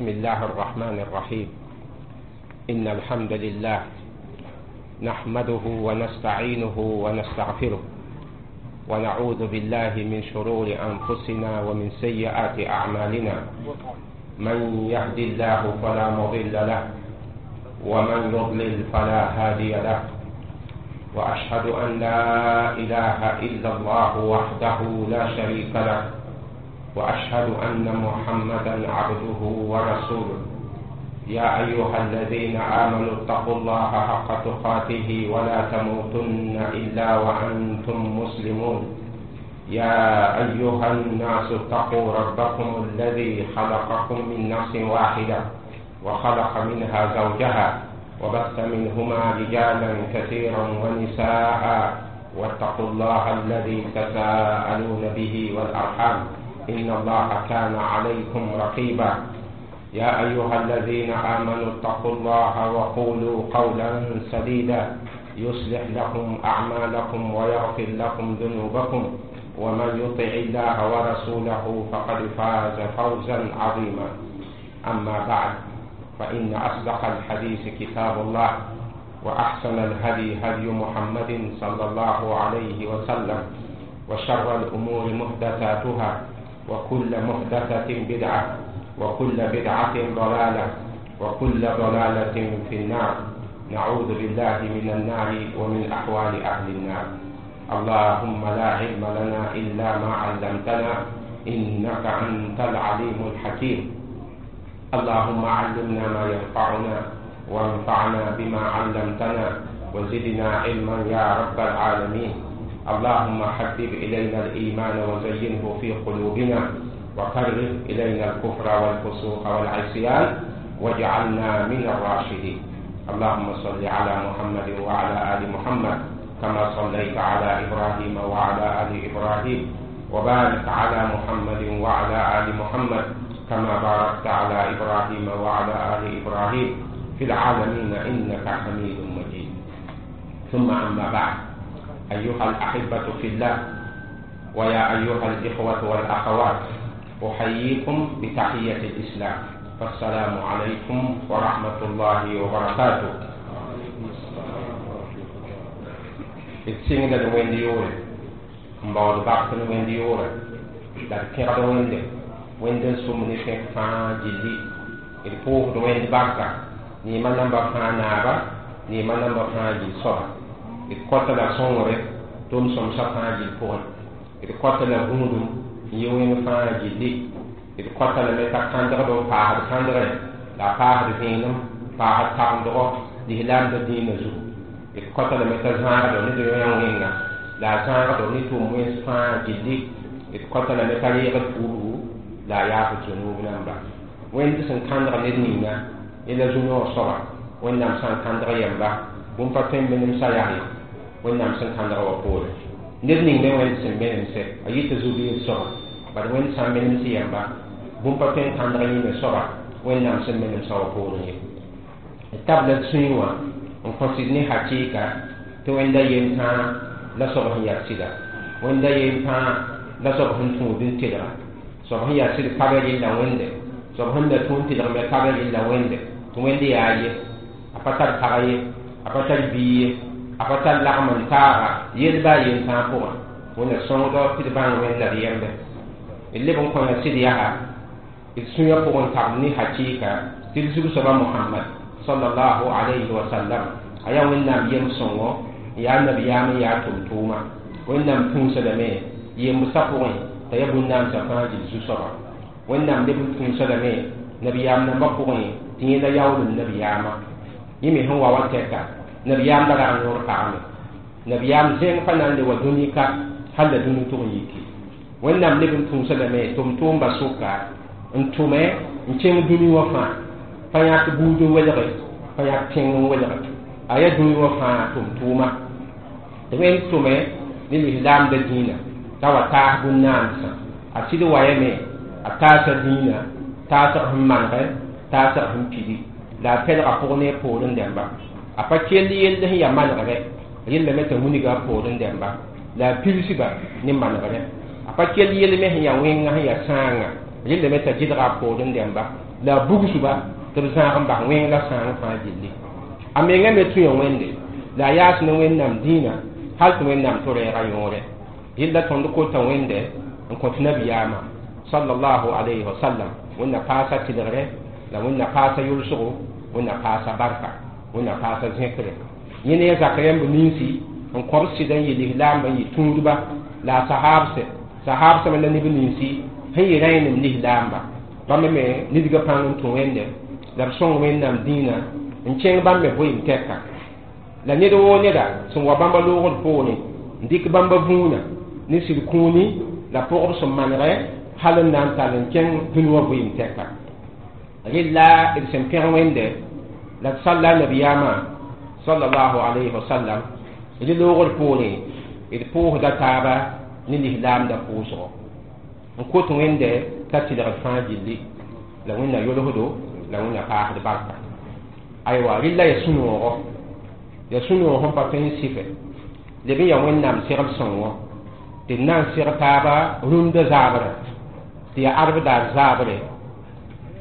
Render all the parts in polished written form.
بسم الله الرحمن الرحيم. إن الحمد لله نحمده ونستعينه ونستغفره، ونعوذ بالله من شرور أنفسنا ومن سيئات أعمالنا. من يهد الله فلا مضل له، ومن يضلل فلا هادي له. وأشهد أن لا إله إلا الله وحده لا شريك له، وأشهد أن محمدا عبده ورسوله. يا أيها الذين آمنوا اتقوا الله حق تقاته ولا تموتن إلا وأنتم مسلمون. يا أيها الناس اتقوا ربكم الذي خلقكم من نفس واحدة، وخلق منها زوجها، وبث منهما رجالا كثيرا ونساء، واتقوا الله الذي تساءلون به والأرحام، إن الله كان عليكم رقيبا. يا أيها الذين آمنوا اتقوا الله وقولوا قولا سديدا، يصلح لكم أعمالكم ويغفر لكم ذنوبكم، ومن يطع الله ورسوله فقد فاز فوزا عظيما. أما بعد، فإن أصدق الحديث كتاب الله، وأحسن الهدي هدي محمد صلى الله عليه وسلم، وشر الأمور محدثاتها، وكل محدثة بدعة، وكل بدعة ضلالة، وكل ضلالة في النار. نعوذ بالله من النار ومن أحوال أهل النار. اللهم لا علم لنا إلا ما علمتنا، إنك أنت العليم الحكيم. اللهم علمنا ما ينفعنا، وانفعنا بما علمتنا، وزدنا علما يا رب العالمين. اللهم حبب إلينا الإيمان وزينه في قلوبنا، وكره إلينا الكفر والفسوق والعصيان، واجعلنا من الراشدين. اللهم صل على محمد وعلى آل محمد، كما صليت على إبراهيم وعلى آل إبراهيم، وبارك على محمد وعلى آل محمد، كما باركت على إبراهيم وعلى آل إبراهيم في العالمين إنك حميد مجيد. ثم أما بعد، أيها الأحبة في الله، ويا أيها الإخوة والأخوات، أحييكم بتحية الإسلام، فالسلام عليكم ورحمة الله وبركاته. D sɩngda d wẽnd yoore n baood bak n wẽnd yoore la d kẽgd wẽnde wẽnd n sʋm ne tẽk fãa gilli. D pʋʋsd wẽnd barka neema namba fãa naaba, neema namba fãa gill soaba. D kõta la sõngre tʋm sõmsã fãa gill pʋgẽ. D kõta la gũudum n yɩ wẽnd fãa gilli. D kõta lame t'a kãndgd n paasd kãndgrẽ la a paasd vẽenem, paasd tagmdgɔ lislaamdã dĩinã zugu. D kõta lame t'a zãagdo ne d yõ wẽnga la a zãagdo ne tʋʋm wẽns fãa gilli. D kõta lame t'a reegd puudgu la a yaafd zũnuub namba. Wẽnd sẽn kãndg ned ninga yẽ la zu-noog soaba. Wẽnnaam sã n kãndg yɛmba, bũmb pa tõe n menemsa yaa ye Wẽnnaam sẽn kãndg wã poore. Ned ning me wẽnd sẽn menemse a yɩta zu-biig soaba, bad Wẽnd sã n menems yɛmba, bũmb pa tõe n kãndg yẽ me soaba Wẽnnaam sẽn menemsã wã poorẽ ye. D tabla d sũyẽ wã n kõsd ne hakɩɩka tɩ Wẽnda yem tãa la soab sẽn yaa sɩda, Wẽnda yem tãa la soab sẽn tũud n telga. Soab sẽn yaa sɩd ka be rɩlla Wẽnde, soab sẽn da tũud n telg me ka be rɩlla Wẽnde, tɩ Wẽnd yaa ye, a pa tar pag ye, a pa tar bia ye, a pa tar lagm n taaga yel baa yem tãa pʋgẽ. Wẽnda sõngdɔ tɩ d bãng Wẽnd la d yembe. D leb n kõ ya sɩd yaa d sũyã pʋgẽ tabl ne hakɩɩka tɩ d zug-soaba Mohamad sallallahu alayhi wa sallam a yaa Wẽnnaam yem sõngo, n yaa nabiyaam, n yaa tʋm-tʋʋma. Wẽnnaam tũusa lame yembsã pʋgẽ t'a yaa bũn-naamsã fãa gill zu-soaba. Wẽnnaam leb n tũusa lame nabiyaam nambã pʋgẽ tɩ yẽ la yaoolem nabiyaamã. Yẽ me sẽn wa wa tɛka nabiyaam la rag noor pagame. Nabiyaam zẽng pa na n le wa dũni ka hal la dũni tʋg n yiki. Wẽnnaam leb n tũusa lame tʋm-tʋʋmba sʋka n tʋme n kẽng dũni wã fãa, pa yãk buud n welge, pa yãk tẽng n welge, a yaa dũni wã fãa tʋm-tʋʋma. Tɩ Wẽnd tʋme ne lislaamdã dĩinã t'a wa taas bũn-naamsã. A sɩd wayame a taasa dĩinã, taasg sẽn manegɛ, taasg sẽn pidi, la a pɛlga pʋg ne a poorẽ dẽmba. A pa kell yell sẽn yaa manegrɛ, rellame t'a wilga a poorẽ dẽmba la a pilsba ne manegrɛ. A pa kell yell me sẽn yaa wẽnga, sẽn yaa sãanga, rellame t'a gɩdga a poorẽ dẽmba. La a bugsba tɩ b zãag n bas wẽng la sãang fãa gilli. A menga me tũya Wẽnde la a yaas ne Wẽnnaam dĩinã hal tɩ Wẽnnaam tɩ reega yõore. Yella tõnd kota Wẽnde n kõt nabiyaamã sallallahu alayhi wa sallam, Wẽnna paasa tɩlgre la Wẽnna paasa yʋlsgo, Wẽnna paasa barka, Wẽnna paasa zẽkre. Yẽ ne a zak rẽmb ninsi n kõb sɩd n yɩ lislaamba n yɩ tũudba la a sahaabse sahaabsã me la neb ninsi sẽn yɩ rẽenem lislaamba, bãmb me nidga pãng n tũ Wẽnde la b sõng Wẽnnaam dĩinã n kẽng bãmb me vɩɩm tɛka. La ned woo neda sẽn wa bãmba loogd poorẽ n dɩk bãmba vũunã ne sɩd kũuni la pʋgb sẽn manegɛ hal n na n tall n kẽng dũni wã vɩɩm tɛka. Rɩla d sẽn pẽg Wẽnde la d salla a nabiyaamã sallallahu alayhi wa sallam, d loogd poorẽ d pʋʋsda taaba ne lislaamda pʋʋsgo n kot Wẽnde t'a tɩlgd fãa gilli la Wẽnna yolsdo la Wẽnna paasd barka. Aywa, rɩla ya sũ-noogo, ya sũ-noog sẽn pa tõe n sɩfɛ leb n ya Wẽnnaam segl sõngo tɩ d na n seg taaba rũndã zaabrã, tɩ ya arbdaar zaabre,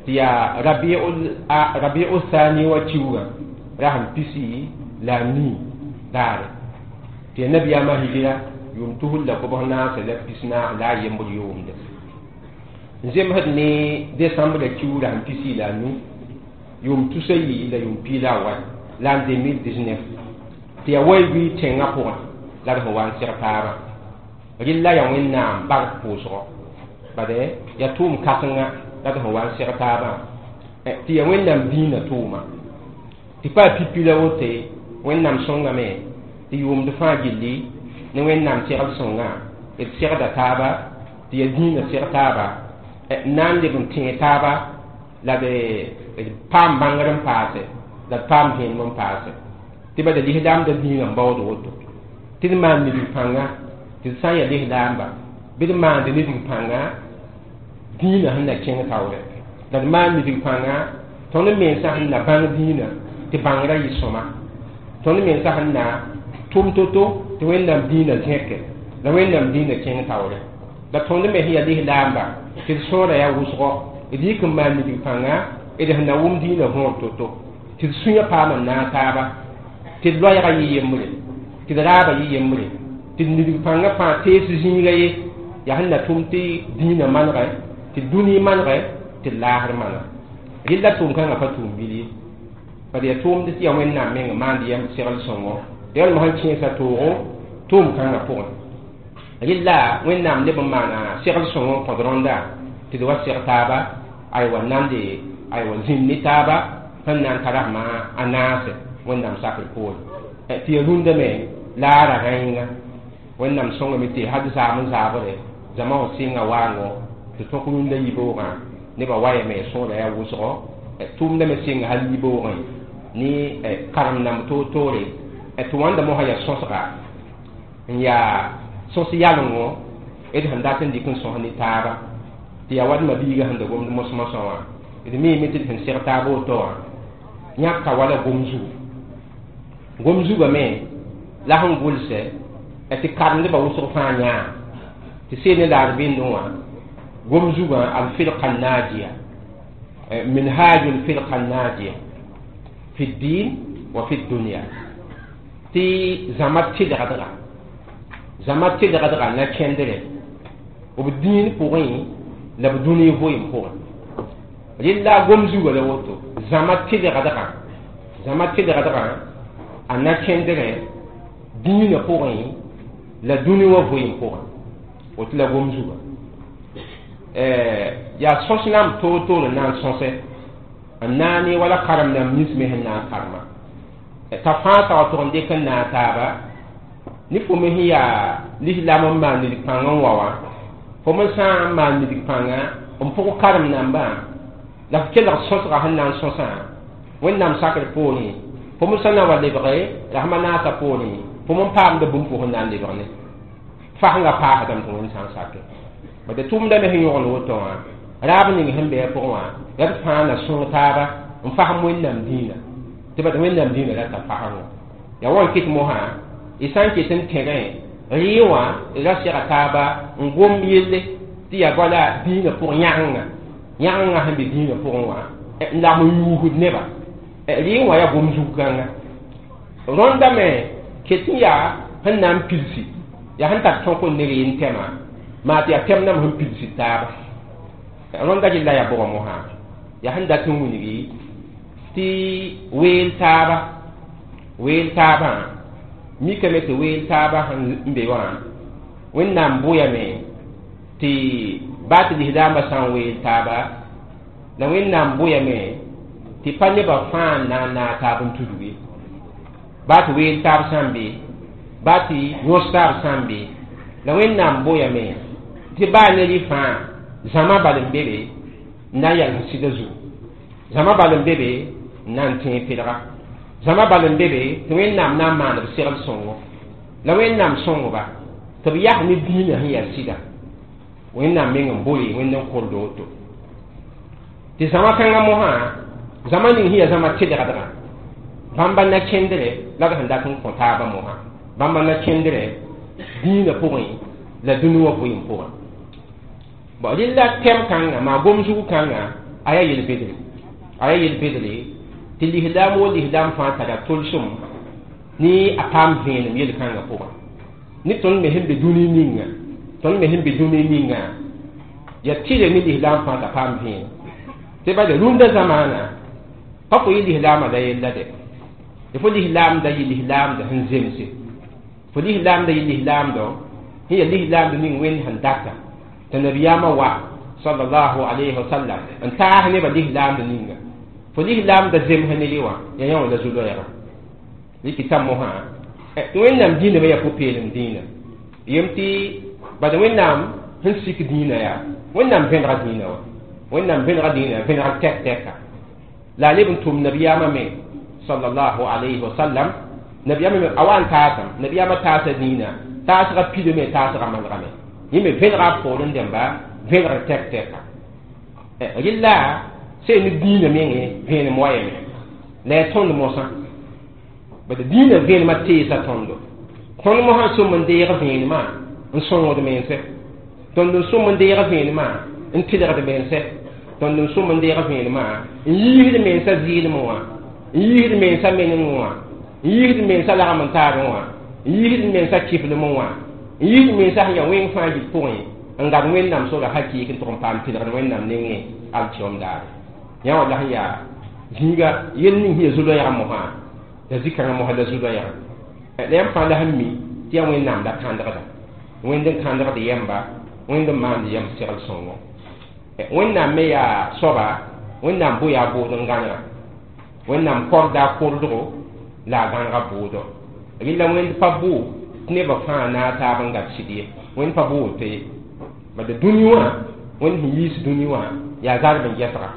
tɩ ya rabiu thani wa kiuugã ra sẽn pisi la a nii daare, tɩ ya nabiyaamã hijira yʋʋm 2049 la a yembd yʋʋmde n zemsd ne desembrã kiuurã sẽn pisi la a nu yʋʋm tusa yi la yʋʋm piig la a wa l'an 2019, tɩ ya wai-bɩ tẽngã pʋgẽ la d sẽn wa n seg taabã. Rɩlla ya Wẽnnaam bark pʋʋsgɔ bade ya tʋʋm kãsenga la d sẽn wa n seg taabã, tɩ ya Wẽnnaam dĩinã tʋʋma tɩ pa pipi la wote. Wẽnnaam sõngame tɩ yʋʋmd fãa gilli ne Wẽnnaam segl sõngã d segda taaba, tɩ ya dĩinã seg taaba n na n leb n tẽeg taaba la d paam bãngr n paase la d paam vẽenem n paase, tɩ bada lislaamda dĩinã n baood woto tɩ d maan nidg pãnga, tɩ d sã n ya lislaamba bɩ d maand nidg pãnga dĩinã sẽn na kẽng taoore, la d maan nidg pãnga tõnd mensã sẽn na bãng dĩinã tɩ bãngrã yɩ sõma, tõnd mensã sẽn na tʋm to-to tɩ Wẽnnaam dĩinã zẽke la Wẽnnaam dĩinã kẽng taoore, la tõnd me sẽn ya lislaamba tɩ d sõora yaa wʋsgɔ, d yik n maan nidg pãnga d sẽn na wʋm dĩinã võor to-to, tɩ d sũyã paam n naag taaba, tɩ d loɛɛgã yɩ yembre, tɩ d raabã yɩ yembre, tɩ d nidg pãngã fãa tees zĩiga ye yaa sẽn na tʋm tɩ dĩinã manegɛ, tɩ dũni manegɛ, tɩ d laasr maneg. Rɩlla tʋʋm kãngã pa tʋʋm bil ye, bad yaa tʋʋmd tɩ ya Wẽnnaam meng maand yɛm segl sõngo yalm sẽn kẽesa toogo tʋʋm kãngã pʋgẽ. Rɩlla Wẽnnaam leb n maana segl sõngo n kõt rõnda tɩ d wa seg taaba, aywa nande aywa zĩnd ne taaba sẽn na n tarasmã a naase Wẽnnaam sakr poore, tɩ ya rũndã me la a ra rãenga. Wẽnnaam sõngame tɩ had zaam n zaabre zãma wã sɩnga waango tɩ tõk rũndã yibeoogã nebã wayame sõora yaa wʋsgo, tʋʋmdã me sɩnga hal yibeoogẽ ne karem namb toor-toore tɩ wãnda mosã yaa sõsga n yaa sõs yalengo d sẽn dat n dɩk n sõs ne taaba, tɩ yaa wadmã biigã sẽn da gomd mos-mosã wã. D miime tɩ d sẽn seg taab woto wã yãka wala gom zugu, gom zugã me la sẽn gʋlsɛ tɩ karemdbã wʋsg fãa yãa tɩ seel ne laad bɩndẽ wã gom zugã alfirqa najiya, minhaj alfirqa najiya fi ddin wa fi dunya, tɩ zãma tɩlgdga, zãma tɩlgdga na kẽndrɛ b dĩin pʋgẽ la b dũni vɩɩm pʋgẽ. Rɩlla gom zugã la woto zãma tɩlgdgã, zãma tɩlgdgã a na kẽndrɛ dĩinã pʋgẽ la dũni wã vɩɩm pʋgẽ, woto la gom zugã yaa sõs nam toor-toor n na n sõsɛ n naane wala karem nam nins me sẽn na n karema t'a fãa ta wa tʋg n dɩk n naag taaba ne fo me sẽn yaa lislaam n maan nidg pãng n wa wã, fo me sã n maan nidg pãnga n pʋg karem nambã la f kelg sõsga sẽn na n sõsã Wẽnnaam sakr poorẽ, fo me sã na wa lebge la sẽma naasã poorẽ fo me n paamda bũmb fo sẽn na n lebg ne fasengã paasdame tɩ Wẽnd sã n sake. Bad tʋʋmda me sẽn yõgl woto wã raab ning sẽn bɩ a pʋgẽ wã la d fãa na sõng taaba n fasem Wẽnnaam dĩinã, tɩ bad Wẽnnaam dĩinã rata fasengõ yaa wa n kɩt mosã y sã n ket n tẽgẽ rɩɩ wã d ra sega taaba n gom yelle tɩ yaa bala dĩinã pʋgẽ yãgenga, yãgenga sẽn be dĩinã pʋgẽ wã. N lagm n yuusd neba. Rɩɩng wã yaa gom zug-kãnga. Rõnda me ket n yaa sẽn na n pilsi, yaa sẽn tar tõk n ne reen tɛmã, maa tɩ yaa tɛm nam sẽn pilsd taaba. Rõnda gella yaa bʋga mosã, yaa sẽn dat n wilgi tɩ weel taaba, weel taabã mikame tɩ weel taaba sẽn be wã, Wẽnnaam bʋyame tɩ baa tɩ lislaambã sã n weel taaba, la Wẽnnaam bʋyame tɩ pa nebã fãa n na n naag taab n tudg ye. Baa tɩ weel taab sã n be, baa tɩ yõs taab sã n be, la Wẽnnaam bʋyame tɩ baa ne rɩ fãa zãma bal n be be n na n yals sɩda zugu, zãma bal n be be n na n tẽeg pedga, zãma bal n be be tɩ Wẽnnaam na n maan b segl sõngo, la Wẽnnaam sõngba tɩ b yas ne dĩinã sẽn yaa sɩda. Wẽnnaam meng n boe Wẽnd n kord woto. Tɩ zãma kãngã mosã, zãma ning sẽn yaa zãma tɩlgdgã, bãmba na-kẽndrɛ la d sẽn dat n kõ taabã mosã, bãmba na-kẽndrɛ dĩinã pʋgẽ la dũni wã vɩɩm pʋgẽ. Bon, rɩla tɛm kãnga, maa gom zug kãnga, a yaa yel-bedre, a yaa yel-bedre tɩ lislaam wo lislaam fãa tara tolsem ne a paam vẽenem yel-kãngã pʋgẽ. Ne tõnd me sẽn be dũni ninga, tõnd me sẽn be dũni ninga, yaa tɩle ne lislaam fãa t'a paam vẽenem. Tɩ bala rũndã zamaana pa fo yɩ lislaamã la yella dɛ, tɩ fo lislaamda yɩ lislaamda sẽn zemse, fo lislaamda yɩ lislaamdɔ sẽn yaa lislaamd ning Wẽnd sẽn data tɩ nabiyaamã wa sallallahu alayhi wa sallam n taas nebã lislaamd ninga. Fo lislaamda zems ne rɩ wã yaa yã wã la zu-loɛɛgã. Rɩkɩta mosã tɩ Wẽnnaam dĩinã me yaa pʋ-peelem dĩinã. Yem tɩ bala Wẽnnaam sẽn sik dĩinã yaa Wẽnnaam vẽnega dĩinã wã, Wẽnnaam vẽnega dĩinã vẽnegr tɛk tɛka. La a leb n tʋm nabiyaamã me sallallahu alayhi wa sallam, nabiyaamã me a wa n taasame, nabiyaamã taasa dĩinã, taasgã pidame, taasgã manegame, yẽ me vẽnega b poorẽ dẽmba vẽnegr tɛk tɛka. Rɩla sẽn ne dĩinã mengẽ vẽenem wa yame la yaa tõnd mosã, bad dĩinã vẽenemã teesa tõndo. Tõnd mosã sõm n deeg vẽenemã n sõngd mense, tõnd n sõm n deeg vẽenemã n tɩlgd mense, tõnd n sõm n deeg vẽenemã n yiisd mensã zɩɩlmẽ wã, n yiisd mensã menengẽ wã, n yiisd mensã lagm n taabẽ wã, n yiisd mensã kiflemẽ wã, n yiisd mensã sẽn yaa wẽng fãa yit pʋgẽ n gad Wẽnnaam sora hakɩɩk n tʋg n paam tɩlgd Wẽnnaam nengẽ alkiom daare. Yã wã la sẽn yaa zĩiga yel ning sẽn yaa zu-loɛɛgã mosã, la zĩ-kãngã mosã la zu-loɛɛgã. La yãmb fãa la sẽn mi tɩ yaa Wẽnnaam la kãndgda, Wẽnd n kãndgd yɛmba, Wẽnd n maand yɛm segl sõngo. Wẽnnaam me yaa soaba, Wẽnnaam bʋ yaa bʋʋd n gãnega, Wẽnnaam korda a kordgo la a gãnega bʋʋdo. Rɩla Wẽnd pa bʋ tɩ nebã fãa naag taab n gad sɩd ye, Wẽnd pa bʋ woto ye. Bad dũni wã, Wẽnd sẽn yiis dũni wã yaa zarb n gɛsga.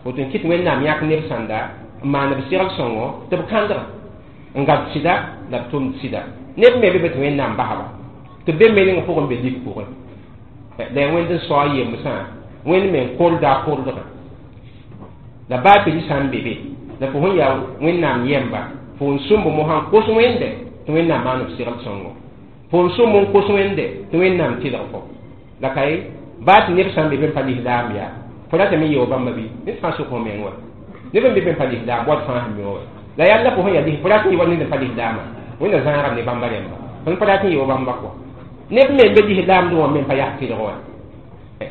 Woto n kɩt Wẽnnaam yãk neb sãnda n maan b segl sõngo tɩ b kãndga n gad sɩda la b tʋmd sɩda. Neb me be be tɩ Wẽnnaam basba tɩ b be meneng pʋgẽ n be lik pʋgẽ. La yaa Wẽnd n sao a yemsã, Wẽnd me n korda a kordgã. La baa tɩ rɩ sã n be be, la fo sẽn yaa Wẽnnaam yɛmba, fo n sõmb mosã n kos Wẽnde tɩ Wẽnnaam maan b segl sõngo. Fo n sõmb n kos Wẽnde tɩ Wẽnnaam tɩlg fo. La ka ye, baa tɩ neb sã n be be n pa lislaam yaa, fo ratame n yeo bãmba bɩ ned fãa sʋk fo meng wa. Neb n be be n pa lislaam, wat fãa sẽn mi wã. La yalla fo sẽn yaa lis, fo rat n yɩ wa ned n pa lislaamã, Wẽnna zãagame ne bãmba rẽmba. Tõnd pa rat n yeo bãmba kɔa. Neb me n be lislaamdẽ wã me n pa yas tɩlg wã.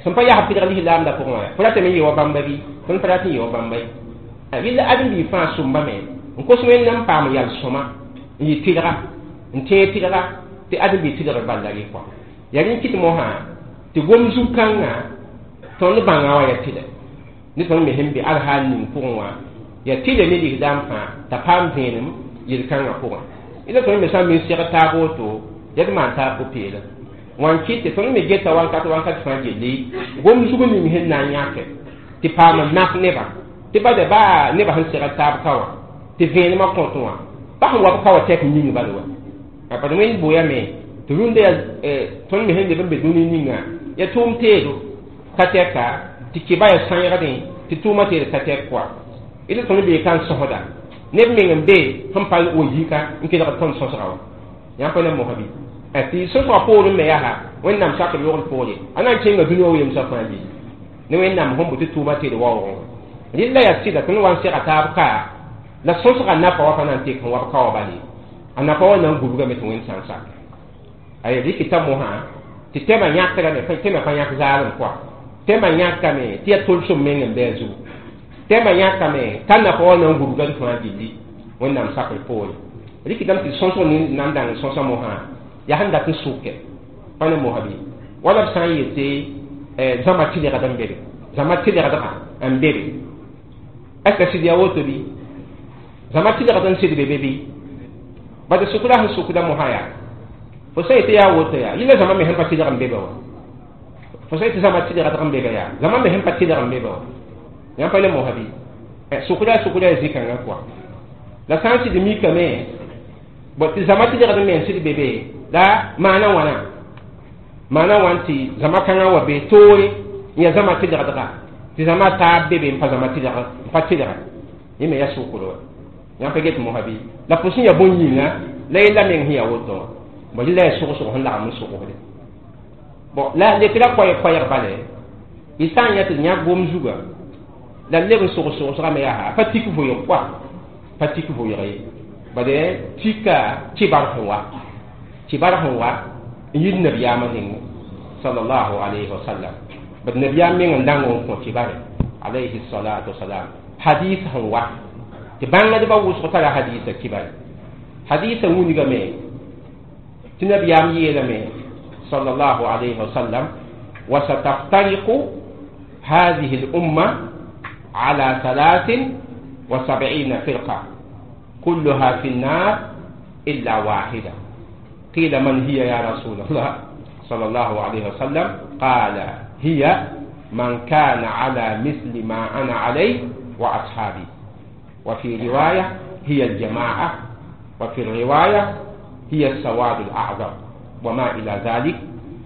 Sẽn pa yas tɩlg lislaamdã pʋgẽ wã, fo ratame n yeo bãmba bɩ, tõnd pa rat n yeo bãmba ye. Rɩla ãdem-biig fãa sõmbame n kos Wẽnnaam n paam yal sõma n yɩ tɩlga, n tẽeg tɩlga tɩ ãdem-biig tɩlgr bal la rɩ kɔa. Yaa rẽ n kɩt mosã tɩ gom zug-kãngã tõnd bãnga wã yaa tɩlɛ. Ne tõnd me sẽn be alhaal ning pʋgẽ wã yaa tɩlɛ ne lislaam fãa t'a paam vẽenem yel-kãngã pʋgẽ. Ila tõnd me sã n me n segd taab woto, yaa d maan taab pʋ-peelem. Wã n kɩt tɩ tõnd me geta wankat wankat fãa gilli gom zug ning sẽn na n yãke tɩ paam n naf nebã, tɩ bada baa nebã sẽn segd taab ka wã tɩ vẽenemã kõt wã pa sẽn wa b ka wã tɛk yĩng bal wa. Bad Wẽnd boyame tɩ rũndã yaa tõnd me sẽn leb n be dũni ninga yaa tʋʋm teedo ka tɛka tɩ kɩba yaa sãyegdẽ tɩ tʋʋmã teed ka tɛk kɔa. Ila tõnd bee ka n sõsda neb meng n be sẽn pa wa yika n kelgd tõnd sõsga wã. Yãmb pa na mosã bɩ? Tɩ sõsgã poorẽ me yaa Wẽnnaam sakr yogl poore a na n kẽnga dũni wã wemsã fãa gilli ne Wẽnnaam sẽn bʋ tɩ tʋʋmã teed waoogẽ wã. Rɩla yaa sɩda tɩ n wa n sega taab ka la sõsga nafa wa pa na n tek n wa b ka wa bale a nafa wa na n gubgame tɩ wẽnd sã n sak ay rɩkɩta mosã tɩ tɛmã yãkrame tɛmã pa yãk zaalem pʋa tɛmã yãkame tɩ yaa tolsem meng n bɩ a zugu tɛmã yãkame t'a nafa wa na n gubgd fãa gilli wẽnnaam sakr poore rɩkɩtame tɩ sõsg ning na n dãng n sõsa mosã yaa sẽn dat n sʋke pa ne mosã bɩ wala b sã n yete zãma tɩlgd n bebe zãma tɩlgdgã n bebe est ce que sɩd yaa woto bɩ zãma tɩlgd n sɩd be bɩ bad sʋkda sẽn sʋkda mosã yaa fo sã yetɩ yaa woto yaa yɩla zãma me sẽn pa tɩlg n bebe wa fo sã yetɩ zãma tɩlgdg n bebe yaa zãma me sẽn pa tɩlg n bebe wa yãmb pa le mosã bɩ sʋkda ya zĩ-kãngã kɔa la sã n sɩd mikame bõ tɩ zãma tɩlgd n me n sɩd bebe la maana wãna maana wãn tɩ zãma kãngã wa be toore n yaa zãma tɩlgdga tɩ zãma taab bebe n pa zãma tɩlg n pa tɩlga yẽ me yaa sʋkr wa yãmb pa get mosã bɩ la fo sẽn yaa bõn-yĩnga la yella meng sẽn yaa woto wã bõ rɩla yaa sʋgsg sẽn lagm n sʋgsde bon la lekra koɛɛg bale y sã n yã tɩ d yãk gom zuga la leb n sogs sogsgame yaa pa tik vʋɩg pʋa pa tik vʋɩg ye bade tika kibar sẽn wa kibar sẽn wa n yit nabiyaamã nengẽ sallallahu alayhi wa sallam bad nabiyaam meng n dãng n kõ kibare alayhi salatu wasalam hadis sẽn wa tɩ bãngdbã wʋsg tara hadisa kibare hadisa wingame tɩ nabiyaam yeelame sallallahu alayhi wa sallam وستفترق هذه الأمة على 73 فرقة كلها في النار إلا واحدة قيل من هي يا رسول الله صلى الله عليه وسلم قال هي من كان على مثل ما أنا عليه وأصحابي وفي رواية هي الجماعة وفي الرواية هي السواد الأعظم وما إلى ذلك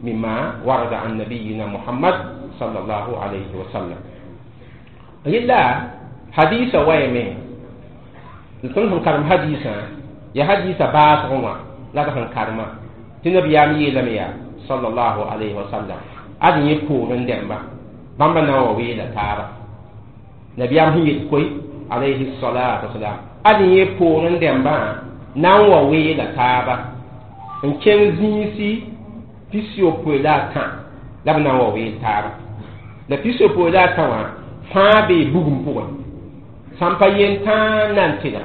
مما ورد عن نبينا محمد صلى الله عليه وسلم إلا حديث ويمين tõnd sẽn karem hadiisã yaa hadiisã baasgẽ wã la d sẽn karema tɩ nabiyaam yeelame yaa sallallahu alayhi wa sallam ad yẽ poorẽ dẽmba bãmba na n wa weela taaba nabiyaam sẽn yet koe alayhi salatu wasalam ad yẽ poorẽ dẽmbã na n wa weela taaba n kẽng zĩisi 63 la a tã la b na n wa weel taaba la 63 la a tã wã fãa bee bugum pʋgẽ sãn pa yen tãa na n tɩlga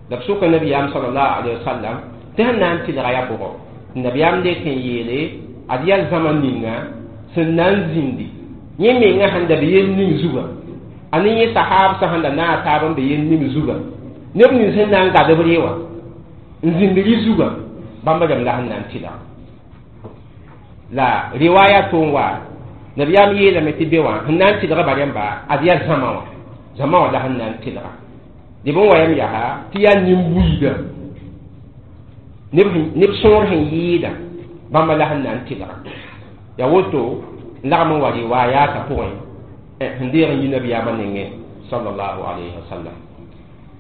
la b sʋka nabiyaam salallahu alayhi wa sallam tɩ sẽn na n tɩlga yaa bʋgɔ nabiyaam lek n yeele ad yaa zãma ninga sẽn na n zĩndi yẽ menga sẽn da be yel ning zuga a ne yẽ sahaab sã sẽn da naag taab n be yel ning zuga neb nins sẽn na n gad b re wã n zĩnd rɩ zuga bãmba rãmb la sẽn na n tɩlga la riwaya tʋ n wa nabiyaam yeelame tɩ be wã sẽn na n tɩlga ba rẽmba ad yaa zãma wã zãma wã la sẽn na n tɩlga dɩ bõn wa yam yaa tɩ yaa nin-buiida neb sõor sẽn yɩɩda bãmba la sẽn na n tɩlga yaa woto n lagm n wa riwayata pʋgẽ sẽn deeg n yi nabiyaamã nengẽ sallallahu alayhi wa sallam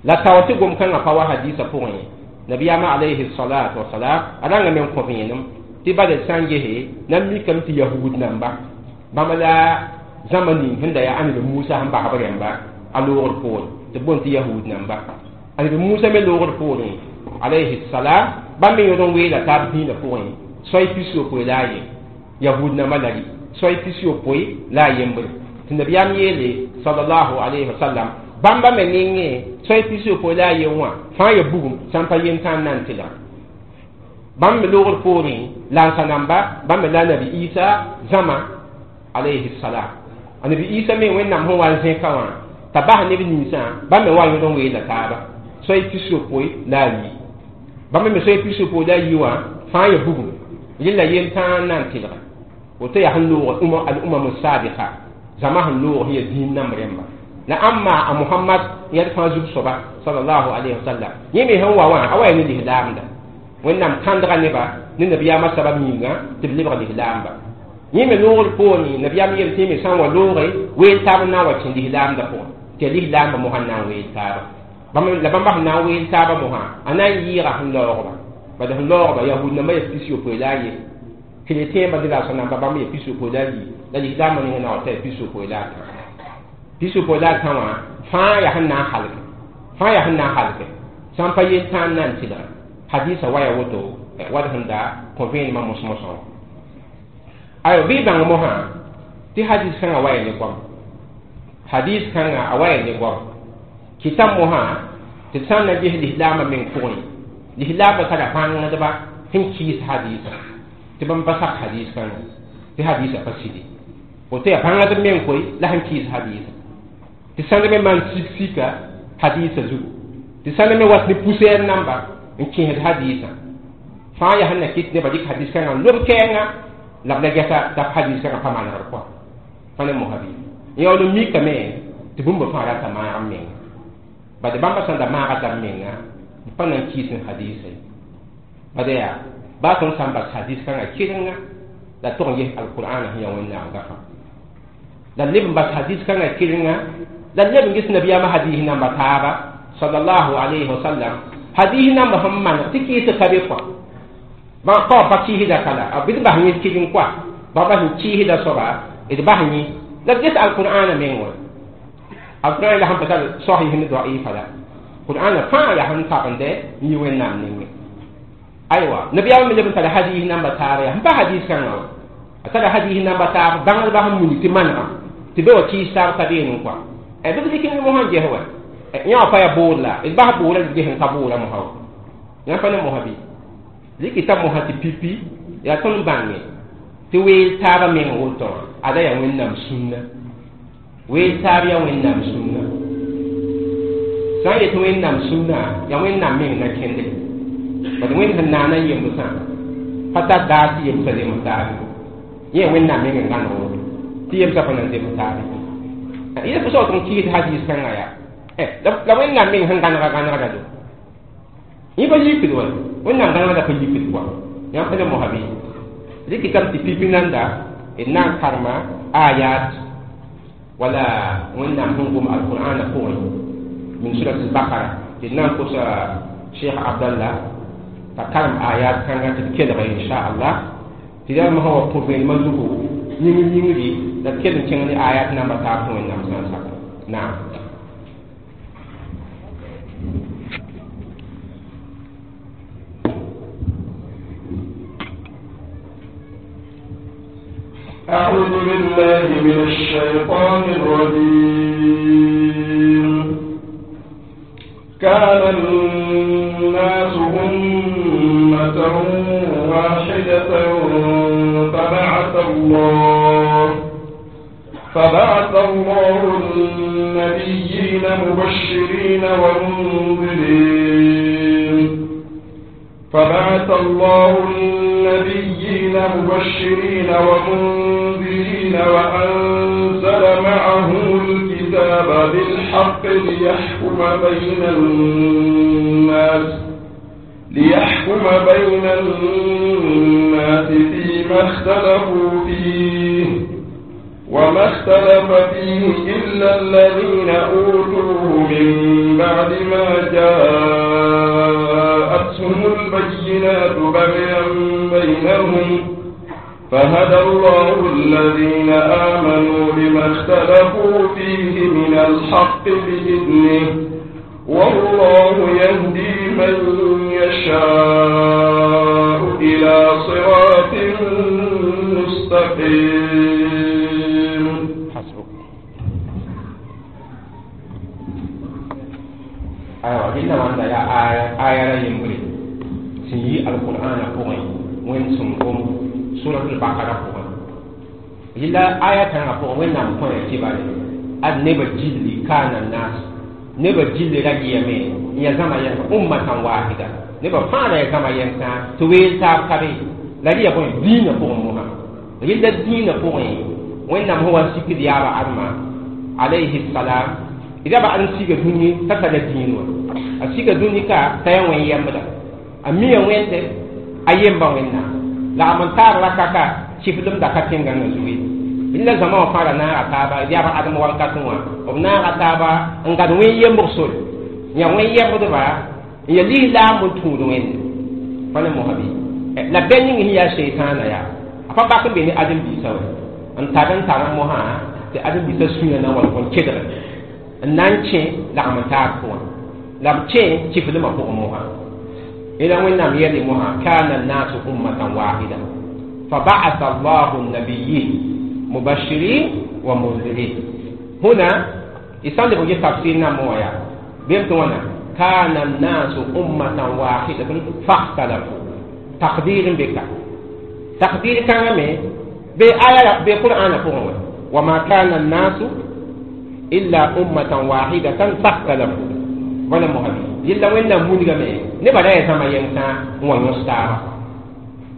la tao tɩ gom-kãngã pa wa hadiisã pʋgẽ nabiyaamã alayhi salatu wasalam a rãngame n kõ vẽenem tɩ bala d sã n gese na n mikame tɩ yahud namba bãmba la zãma ning sẽn da yaa ãneb musa sẽn basb rẽmba a loogr poore tɩ b boond tɩ yahud namba ãneb musa me loogr poorẽ alayhi salam bãmb me yõd n weela taab dĩinã pʋgẽ soay 63 la a ye yahud namba la rɩ soay 63 la a yembre tɩ nabiyaam yeele salallahu alayhi wa sallam bãmba me nengẽ soay 63 la a yen wã fãa ya bugum sã n pa yen tã n na n tɩlga bãmb me loogr poorẽ lansa namba bãmb me la nabi isa zãma alayhi salam a nabi isa me wẽnnaam sẽn wa n zẽka wã t'a bas neb ninsã bãmb me wa yõd n weela taaba soay 63 la a yi bãmb me soay 63 la a yi wã fãa ya bugum rẽla yen tãa n na n tɩlga woto yaa sẽn loog al umam sabiqa zãma sẽn loog sẽn ya dĩin namb rẽmba la ãmba a mohamad yãd fãa zug soaba salallahu alayhi wa sallam yẽ me sẽn wa wã a wa ya ne lislaamda wẽnnaam kãndga neba ne nabiyaamã sabab yĩnga tɩ b lebg lislaamba yẽ me loogr poorẽ nabiyaam yel tɩ me sã n wa looge weel taab n na n wa kẽ lislaamda pʋgẽ tɩ yaa lislaambã mosã n na n weel taaba la bãmba sẽn na n weel taabã mosã a na n yɩɩga sẽn laoogba bad sẽn laoogba yahud nambã yaa 63 la a ye chrétien ba de la sã namba bãmb yaa 63 la a yi la lislaambã nengã na wa ta yaa 63 la a tã Pisu po la tãwã fãa yaa sẽn na n halge fãa yaa sẽn na n halge sã n pa yel tãa n na n tɩlga hadisa waya woto wad sẽn da kõ vẽenemã mos-mosã wã aywa bɩ bãng mosã tɩ hadis kãngã waya ne goam hadis kãngã a waya ne goam kɩta mosã tɩ d sã n na ges lislaambã meng pʋgẽ lislaambã tara bãngdba sẽn kɩɩs hadisã tɩ bãmb pa sak hadis kãngã tɩ hadisã pa sidi woto yaa bãngdb meng koe la sẽn kɩɩs hadisã tɩ sãnd me maan sik sika hadisã zugu tɩ sãnd me wat ne poussière namba n kẽesd hadisã fãa yaa sẽn na kɩt nebã dɩk hadis kãngã n lob kɛɛngã la b la gɛsa t'a hadis kãngã pa manegd kɔa fa ne mosa bɩ n yaool n mikame tɩ bũmb fãa rata maag n menga bad bãmba sẽn da maaga t'a menga b pa na n kɩɩs n hadisã ye bad yaa baa tõnd sã n bas hadis kãngã kɩrenga la tog n ges alqur'ana sẽn yaa wẽnnaam gafa la leb n bas hadis kãngã kɩrenga la leb n ges nabiyaamã hadis namba taaba sallallahu alayhi wa sallam hadis namba sẽn maneg tɩ kɩɩs ka be kɔa pa pa kɩɩsda ka la b d bas yẽ kɩreng kɔa ba bas n kɩɩsda soaba d bas yẽ la d ges alqur'ana meng wã alqur'an la sẽn pa tar sahih ne da'ifa la qur'ana fãa yaa sẽn tabende n yi wẽnnaam nengẽ aywa nabiyaamã me leb n tara hadis namba taaba yaa sẽn pa hadis kãngã wã a tara hadis namba taab bãngdbã sẽn muni tɩ manegã tɩ be wa kɩɩs taab ka beene kɔa bɩ b dɩk ne mosã ges wa yã wã pa yaa boor la d bas boora d ges n ka boora mosã wa yã pa ne mosã bɩ rɩkɩta mosã tɩ pipi yaa tõnd bãnge tɩ weel taabã meng woto wã ada yaa wẽnnaam sũnna weel taab yaa wẽnnaam sũnna sã n yet wẽnnaam sũnna yaa wẽnnaam meng na kẽndre bad wẽnd sẽn naana yemsã pa tar daar tɩ yemsã zems taabe yẽ wẽnnaam meng n gãneg woto tɩ yemsã pa na n zems taabe yẽ fo sao tɩ n kɩɩs hadis kãngã yaa la wẽnnaam meng sẽn gãnega gãnegda do yẽ pa yikd wa wẽnnaam gãnegda pa yikd kɔa yã pa ne mosa bɩ rɩkɩtame tɩ pipi nanda d na n karema ayat wala wẽnnaam sẽn gom alqur'ana pʋgẽ min surat albaqara tɩ d na n kosa cheikh abdallah t'a karem ayat kãngã tɩ d kelga inchallah tɩ yaa mosã wa kõ vẽenemã zugu yĩngr yĩngri la d kell n kẽng ne ayat namba taab tɩ wẽnnaam sã n saka naam. أعوذ بالله من الشيطان الرجيم. كان الناس أمة واحدة فبعث الله النبيين مبشرين ومنذرين فبعث الله النبيين مبشرين ومنذرين وأنزل معهم الكتاب بالحق ليحكم بين الناس فيما اختلفوا فيه وما اختلف فيه إلا الذين أوتوه من بعد ما جاءتهم البينات بغيا بينهم فهدى الله الذين آمنوا لما اختلفوا فيه من الحق بإذنه والله يهدي من يشاء إلى صراط مستقيم. حسبك. أيوة جل وعلا يا آية آية يمري سيي القرآن قوي وين سنقوم سورة البقرة قوي إلا آية كان قوي وين نام قوي كبار النبي جل كان الناس نبي جل رجيا مين يا زمان ين أمة واحدة نبي فانا يا زمان ين تويل تاب كبي لا يقول دين قوي محمد إلا دين قوي وين نام هو سكر يا أرما عليه السلام إذا بقى نسيج الدنيا تتلا الدين أسيج الدنيا كا تيا وين يمدا أمي وين ت أيام بوينا لا من تار لا كاكا شفلم دكاتين عن زوي إلا زمان فارنا نارا تابا إذا بقى آدم وان كاتوا وبنارا تابا إن وين يمبصل يا وين يمبدوا يا لي لا من تود وين فانا مهبي لا بيني هي شيطان يا أفا باكن بيني آدم بيسوي أن تابن تابن مها tɩ ãdem-biisã sũyã na n wa n kedge n na n kẽ lagm n taab pʋgẽ la b kẽ kifdmã pʋgẽ mosã ila wẽnnaam yɛle mosã kana annasu ummatan wahida فبعث الله النبيين مبشرين ومنذرين هنا يسال بوجه تفسيرنا مويا بيمت وانا كان الناس أمة واحدة فاختلفوا تقدير بك تقدير كان مي بآية بقرآن فهو وما كان الناس إلا أمة واحدة فاختلفوا ولا مهمي يلا وين مونغا مي نبا لا يزما ينسا ونستارا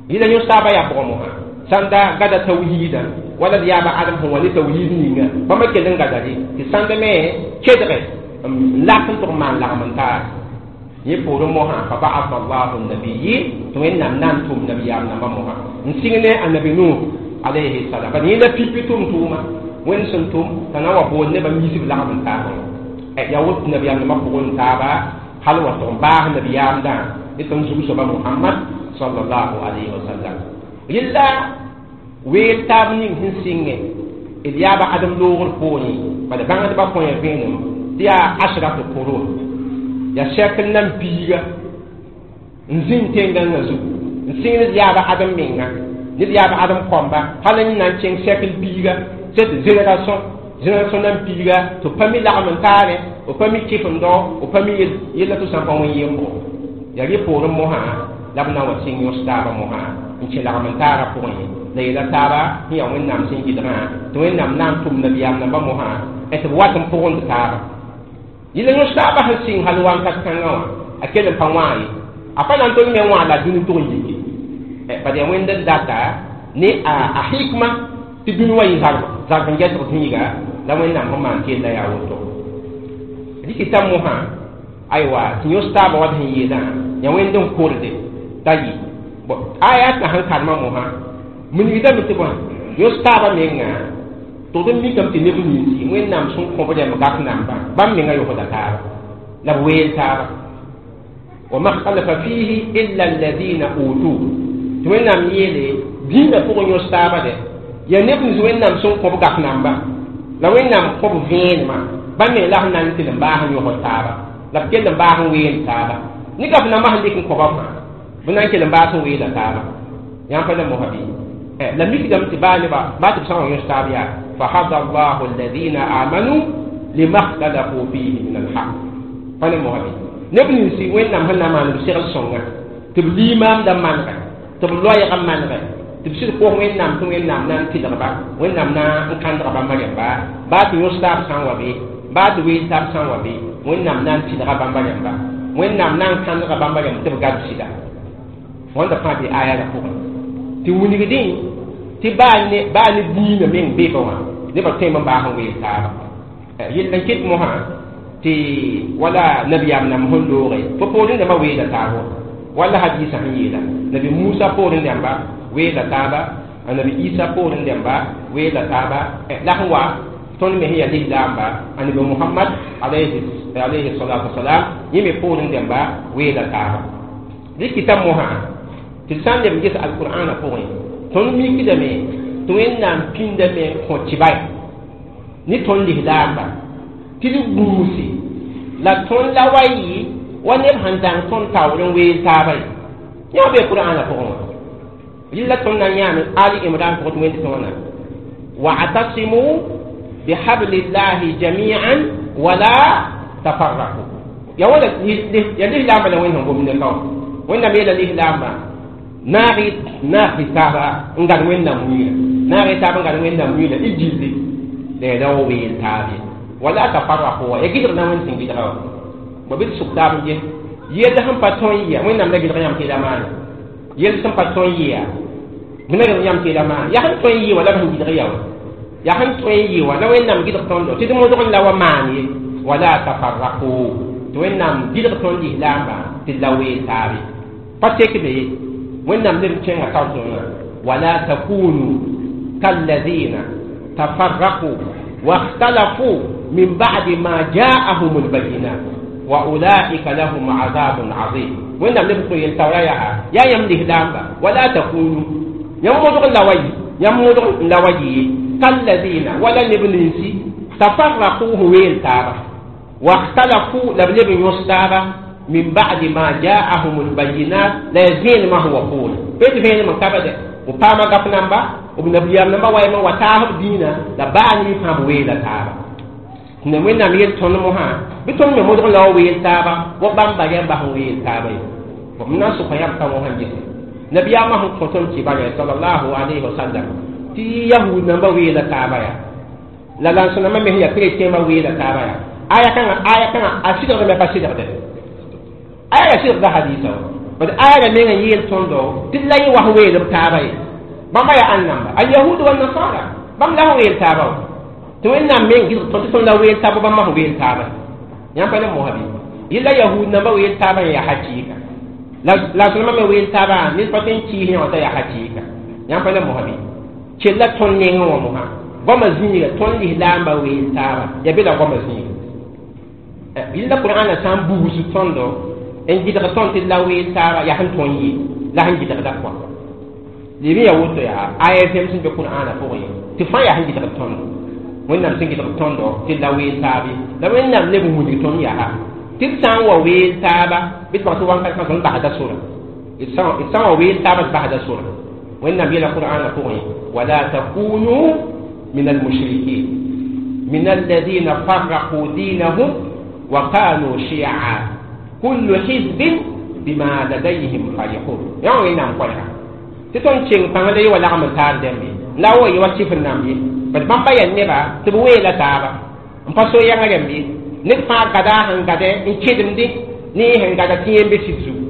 يلا يستارا يا برومها ساندا غدا توحيدا ولا ديابا آدم هو ني توحيد نيغا بما كيلن غدا دي ساندا مي كيدري لكن ترمان لغمنتا يبور موها فبعث الله النبيين توين نام نانتم نبيام نام موها نسينه النبي نوح عليه السلام بني لا بيبيتم توما وين سنتم تناوا بون نبا ميسي لغمنتا يا وت نبيام نام بون تابا هل وتم باه نبيام دا يتم زوجة محمد صلى الله عليه وسلم إلا ويتابني هنسينه إذ آدم لوغر بوني بعد بعد بقول بينهم تيا 10 قرون يا شكل نم بيغا نزين تنغان نزو نسين يابا آدم مينغا نيد يابا آدم كومبا هل نان شكل بيغا cette génération génération نم بيغا تو pami lagm taare o pami kɩfemdo o pami yella tɩ sã n pa wẽn yembo ya rɩ poorẽ mosã la b na n wa sɩng yõs taabã mosã n kẽ lagm n taarã pʋgẽ la yeela taaba sẽn yaa wẽnnaam sẽn gɩdgã tɩ wẽnnaam na n tʋm nabiyaam nambã mosã tɩ b wat n pʋgend taaba yella yõs taabã sẽn sɩng hal wakat kãngã wã a kell n pa wã ye a pa na n tol me wã la dũni tʋg n yike bad yaa wẽnd n data ne a hikma tɩ dũni wa yɩ zarb n gɛsg zĩiga la wẽnnaam sẽn maan kella yaa woto rɩkɩta mosã aywa tɩ yõs taabã wat sẽn yeelã yaa wẽnd n korde t'a yɩ aya t'a sẽn karema mosã minigdame tɩ bõe yõs taabã menga tʋgd n mikame tɩ neb ninsi wẽnnaam sẽn kõb rɛmb gak namba bãmb menga yõsda taaba la b weel taaba wama htalafa fihi illa alladina utu tɩ wẽnnaam yeele dĩinã pʋgẽ yõs taaba dɛ yaa neb nins wẽnnaam sẽn kõb gak namba la wẽnnaam kõb vẽenemã bãmb me la sẽn na n tɩ n baas n yõsd taaba la b kell n baas n ween taaba ne gaf nambã sẽn dɩk n kõba fãa b na n kell n baas n weeda taaba yãmb pa la mosa bɩ la mikdame tɩ baa nebã baa tɩ b sã n wa yõs taab yaa فهدى الله الذين آمنوا لما اختلفوا فيه من الحق فانا مهمي نبني نسي وين نام هنا ما نبشر الصنع تبلي ما دم ما نغ تبلوا يغم ما نغ تبشر قوم وين نام وين نام نام تدربا وين نام نا كان دربا ما يبا بعد يوسف سان وبي بعد ويساب سان وبي وين نام نام تدربا ما يبا وين نام نام كان دربا ما يبا تبقى تشيدا وين دفع دي آية لفوق توني بدين تباني باني دين من بيبوا نبا تيم باهم ويتاب يلن كت مها تي ولا نبي أمنا مهون لوري فبولين دما ويدا تابو ولا حديث هنيدا نبي موسى بولين دما ويدا تابا النبي عيسى بولين دما ويدا تابا لا هو تون مهي الإسلام با النبي محمد عليه الصلاة والسلام يمي بولين دما ويدا تابا دي كتاب مها تسان دم جس القرآن فوين تون مي كدمي tɩ wẽnnaam pĩndame n kõ tɩba ne tõnd lislaamba tɩ d gũusi la tõnd la wa yɩ wa neb sẽn dãng tõnd taoor n weel taaba ye yã bee qur'aanã pʋgẽ wã rɩla tõnd na n yãame ali imran pʋgẽ tɩ wẽnd tɩ wãna wa'tasimu bihablillahi jami'an wala tafarraqu ya wala ya lislaamba la wẽnd sẽn gomd ne ka wã wẽnnaam yeela lislaamba naag taaba n gad wẽnnaam wiira naag taaba n gad wẽnnaam wiira y gilli la ya ra weel taabe wala tafarraqu ya gɩdg na wẽnd sẽn gɩdga wã ba bɩ d sʋk taab n ges yell sẽn pa tõe n yɩa wẽnnaam la gɩdg yãmb tɩ la maane yell sẽn pa tõe n yɩa b na gɩdg yãmb tɩ la maane yaa sẽn tõe n yɩ wã la b sẽn gɩdg ya wã yaa sẽn tõe n yɩ wã la wẽnnaam gɩdg tõndo tɩ d modg n la wa maan ye wala tafarraqu tɩ wẽnnaam gɩdg tõnd lislaambã tɩ d la weel taabe pa tek be wẽnnaam neb kẽngã taoor wala takunu kalladina tafarraqu واختلفوا من بعد ما جاءهم البينات وأولئك لهم عذاب عظيم وإن لم يكن يلتوى يا يملك لامبا ولا تكونوا يمضغ اللوي يمضغ اللوي kalladina wala neb ninsi tafarraquhu weel taaba واختلفوا لبلب يستابا من بعد ما جاءهم البينات لا يزين ما هو قول بيت فين من كبد وقام قفنamba وبنبيام نمبا ويما وتاهب دينا لباني فهم ويلا تابا ne wẽnnaam yel tõnd mosã bɩ tõnd me modg la wa weel taaba wa bãmba rẽmba sẽn weel taaba ye m na n sʋka yãmb ka wã sẽn gese nabiyaamã sẽn kõ tõnd kibare salallahu alayhi wasallam tɩ yahud namba weela taaba yaa la lãns-nambã me sẽn yaa chrétien weela taaba yaa aya kãngã a sɩdgdame pa sɩdgde aya ya sɩdgda hadisa wa bad aya ra meng n yeel tõndo tɩ d la yẽ wa sẽn weel b taaba ye bãmba yaa ãn namba alyahud wannasara bãmb la sẽn weel taaba wa tɩ wẽnnaam meng gɩsg tõnd tɩ tõnd la weel taaba bãmba sẽn weel taaba yãmb pa ne mosa bɩ yella yahud namba weel taaba n yaa hakɩɩka la sõnema me weel taaba ned pa tõe n kɩɩs yã wã t'a yaa hakɩɩka yãmb pa ne mosa bɩ kella tõnd nengẽ wã mosã goamã zĩiga tõnd lislaamba weel taaba yaa be la goamã zĩiga yella qur'ana sã n bugs tõndo n gɩdg tõnd tɩ d la weel taaba yaa sẽn tõnd ye la sẽn gɩdgda pʋa leb n yaa woto yaa aya vẽm sẽn be qur'ana pʋgẽ tɩ fãa yaa sẽn gɩdg tõndo wẽnnaam sẽn gɩdg tõndo tɩ d la weel taab ye la wẽnnaam leb n wilg tõnd yaa tɩ d sã n wa weel taaba bɩ d bag tɩ wãnkat kãsem basda sora d sã n wa weel taaba d basda sora wẽnnaam yeela qur'ana pʋgẽ wala takunu min almushrikin min alladina farraqu dinahum wa kanu shi'a kullu hizbin bima ladayhim farihun yã wẽnnaam koɛɛga tɩ tõnd keng pãngda ye wa lagm n taar dẽmbe la wa ye wa sɩf n namb ye bad bãmba yaa neba tɩ b weela taaba n pa so yãng rẽmb ye ned fãa gada sẽn gade n kedemdẽ ne sẽn gada tɩ yẽ be sɩd zugu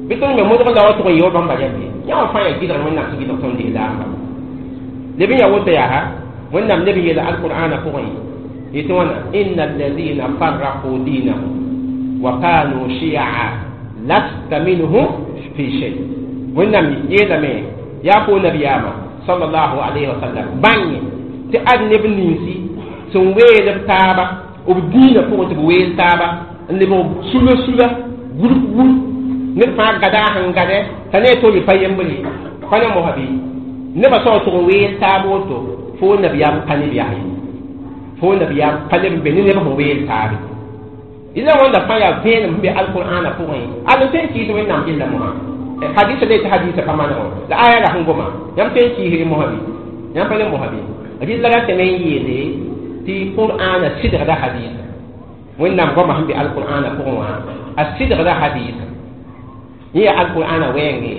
bɩ tõnd me modg la wa tʋg n yee wa bãmba rẽmb ye yã wã fãa yaa gɩdg wẽnnaam sẽn gɩdg tõnd lislaamba leb n yaa woto yaa wẽnnaam leb n yeela alqur'ana pʋgẽ yetɩ wãna inna alladina farraqu dinahum wa kanu shi'a lasta minhum fi shay wẽnnaam yeelame yaa fo nabiyaama sallallahu alayhi wa sallam bãnge tɩ ad neb ninsi sẽn weel b taaba b dĩinã pʋgẽ tɩ b weel taaba n lebg sula sula gurp gurp ned fãa gada sẽn gade t'a ne tol pa yembre ye pa ne mosa bɩ nebã soab tʋg n weel taab woto fo nabiyaam pa neb yaa ye fo nabiyaam pa leb n be ne neb sẽn weel taabe yẽla wãnda fãa yaa vẽenem sẽn be alqur'ana pʋgẽ ad n tõe n kɩɩs wẽnnaam gella mosã hadisa le tɩ hadisa pa manegɔ la aya ra sẽn goma yãmb tõe n kɩɩsre mosã bɩ yãmb pa ne mosã bɩ rɩlla ratame n yeele tɩ qur'ana sɩdgda hadisa wẽnnaam goamã sẽn be alqur'ana pʋgẽ wã a sɩdgda hadisa yẽ yaa alqur'ana wɛɛnge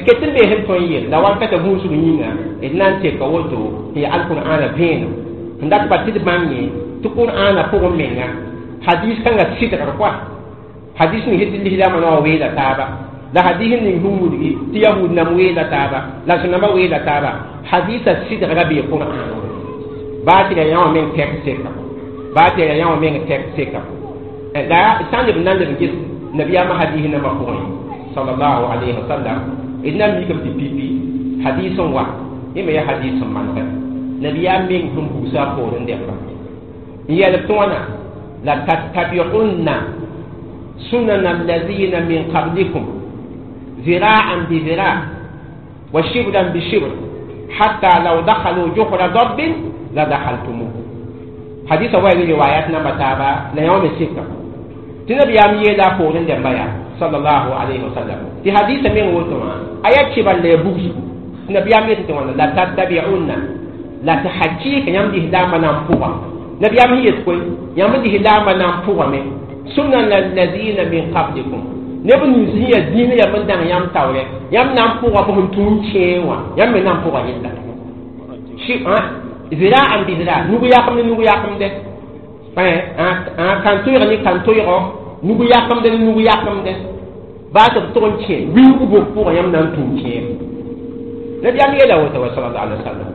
ket n bees n tõe n yel la wankata gũusg yĩnga d na n teka woto tɩ yaa alqur'ana vẽenem sẽn dat pa tɩ d bãng ye tɩ qur'ana pʋgẽ menga hadis kãngã sɩdgr koa hadis ning sẽn tɩ lislaamã na wa weela taaba la hadis ning sẽn wilgi tɩ yahud nam weela taaba la sẽn-nambã weela taaba hadisa sɩdgra bee qur'an baa tɩ ra yã wã meng tɛk seka baa tɩ ra yã wã meng tɛk seka la sã n leb n na n leb n ges nabiyaamã hadis nambã pʋgẽ sallallahu alayhi wa sallam d na n mikame tɩ pipi hadis n wa yẽ me yaa hadis sẽn manegɛ nabiyaam meng sẽn buusa a poorẽ dẽmba n yɛlb tɩ wãna la tattabi'unna sunana alladhina min qablikum zira'an bi zira' wa shibran bi shibr hatta law dakhalu juhra dabbin la dakhaltumuh hadisa wa ni riwayat namba taaba la yã wã me sɩka tɩ nabiyaam yeela a poorẽ dẽmba yaa sallallahu alayhi wa sallam tɩ hadisa meng woto wã a yaa kɩbar la ya bugsgu tɩ nabiyaam yetɩ tɩ wãna la tattabi'unna la tɩ hakɩɩka yãmb lislaambã na n pʋga nabiyaam sẽn yet koe yãmb lislaambã na n pʋgame sunana alladina min qablikum neb nins sẽn yaa dĩinã yam n dãng yãmb taoorɛ yãmb na n pʋga b sẽn tũu n kẽe wã yãmb me na n pʋga yella ziraan bi zira nug yakemd ne nug yakemde kan-toɩg ne kan-toɩgɔ nug yakemde ne nug yakemde baa tɩ b tʋg n kẽ wilg bok pʋgã yãmb na n tũu kẽem nabiyaam yeela woto wa sallallahu alaihi wasallam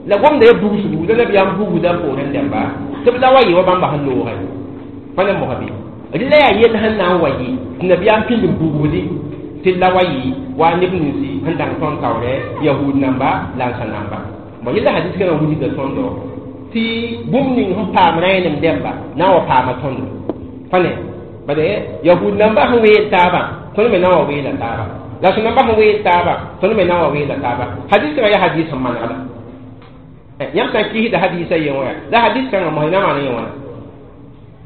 la gomda ya bugsgu la nabiyaam bugda poorẽ dẽmba tɩ b la wa yɩ wa bãmba sẽn loogɛ pa ne mosa bɩ rɩla yaa yell sẽn na n wa yɩ tɩ nabiyaam pĩnd n bugsdi tɩ la wa yɩ wa neb ninsi sẽn dãng tõnd taoorɛ yahud namba la n sã namba bon yella hadis kãngã wilgda tõndo tɩ bũmb ning sẽn paam rẽenem dẽmba na n wa paama tõndo pa ne bad yahud namba sẽn weel taabã tõnd me na n wa weela taaba la sẽn namba sẽn weel taaba tõnd me na n wa weela taaba hadis kãngã yaa hadis sẽn manegda Yãmb sã n kɩɩsda hadiisã yen wã la hadis kãngã mosã na maan yẽ wãna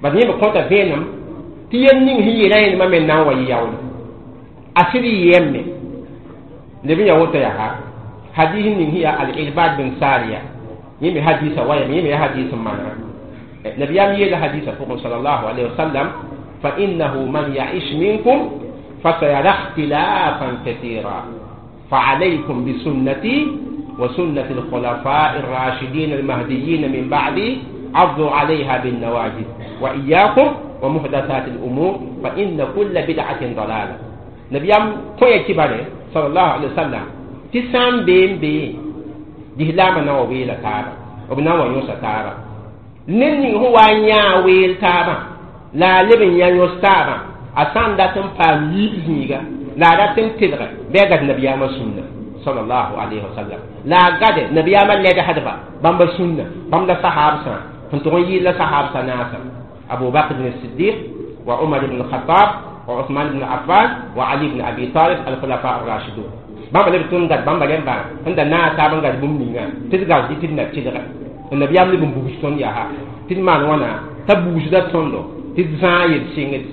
bad yẽ b kõta vẽenem tɩ yel ning sẽn yeelã yẽndmã me na n wa yɩ yaoole a sɩd yɩ yɛmme leb n yaa woto yaa hadis ning sẽn yaa al-irbad bin sariya yẽ me hadisa wayame yẽ me yaa hadis n manega nabiyaam yeela hadisa pʋgẽ sallallahu alayhi wa sallam fa innahu man ya'ish minkum fasayara ikhtilafan kathira فعليكم بسنتي وسنة الخلفاء الراشدين المهديين من بعدي عضوا عليها بالنواجذ وإياكم ومحدثات الأمور فإن كل بدعة ضلالة نبيام كوي كباري صلى الله عليه وسلم تسام بين بين دهلاما نووي لتابا وبنا ويوسا تابا نني هو نيا ويل تابا لا لبن يا يوس تابا أسان داتن فام يبزنيغا لا داتن تدغ بيغت نبيام السنة صلى الله عليه وسلم لا قد نبيام اللي حدبا بامبا سنة بامبا صحاب سنة فانتغن يلا صحاب سنة أبو بكر بن الصديق وعمر بن الخطاب وعثمان بن عفان وعلي بن أبي طالب الخلفاء الراشدون بامبا لب تون قد بامبا لمبا عند نا تابن قد بوم نينا تدغ دي تدنا تدغ النبي أم لب بوشتون ياها تدمان وانا تبوش دا توندو تدزان يد سينغ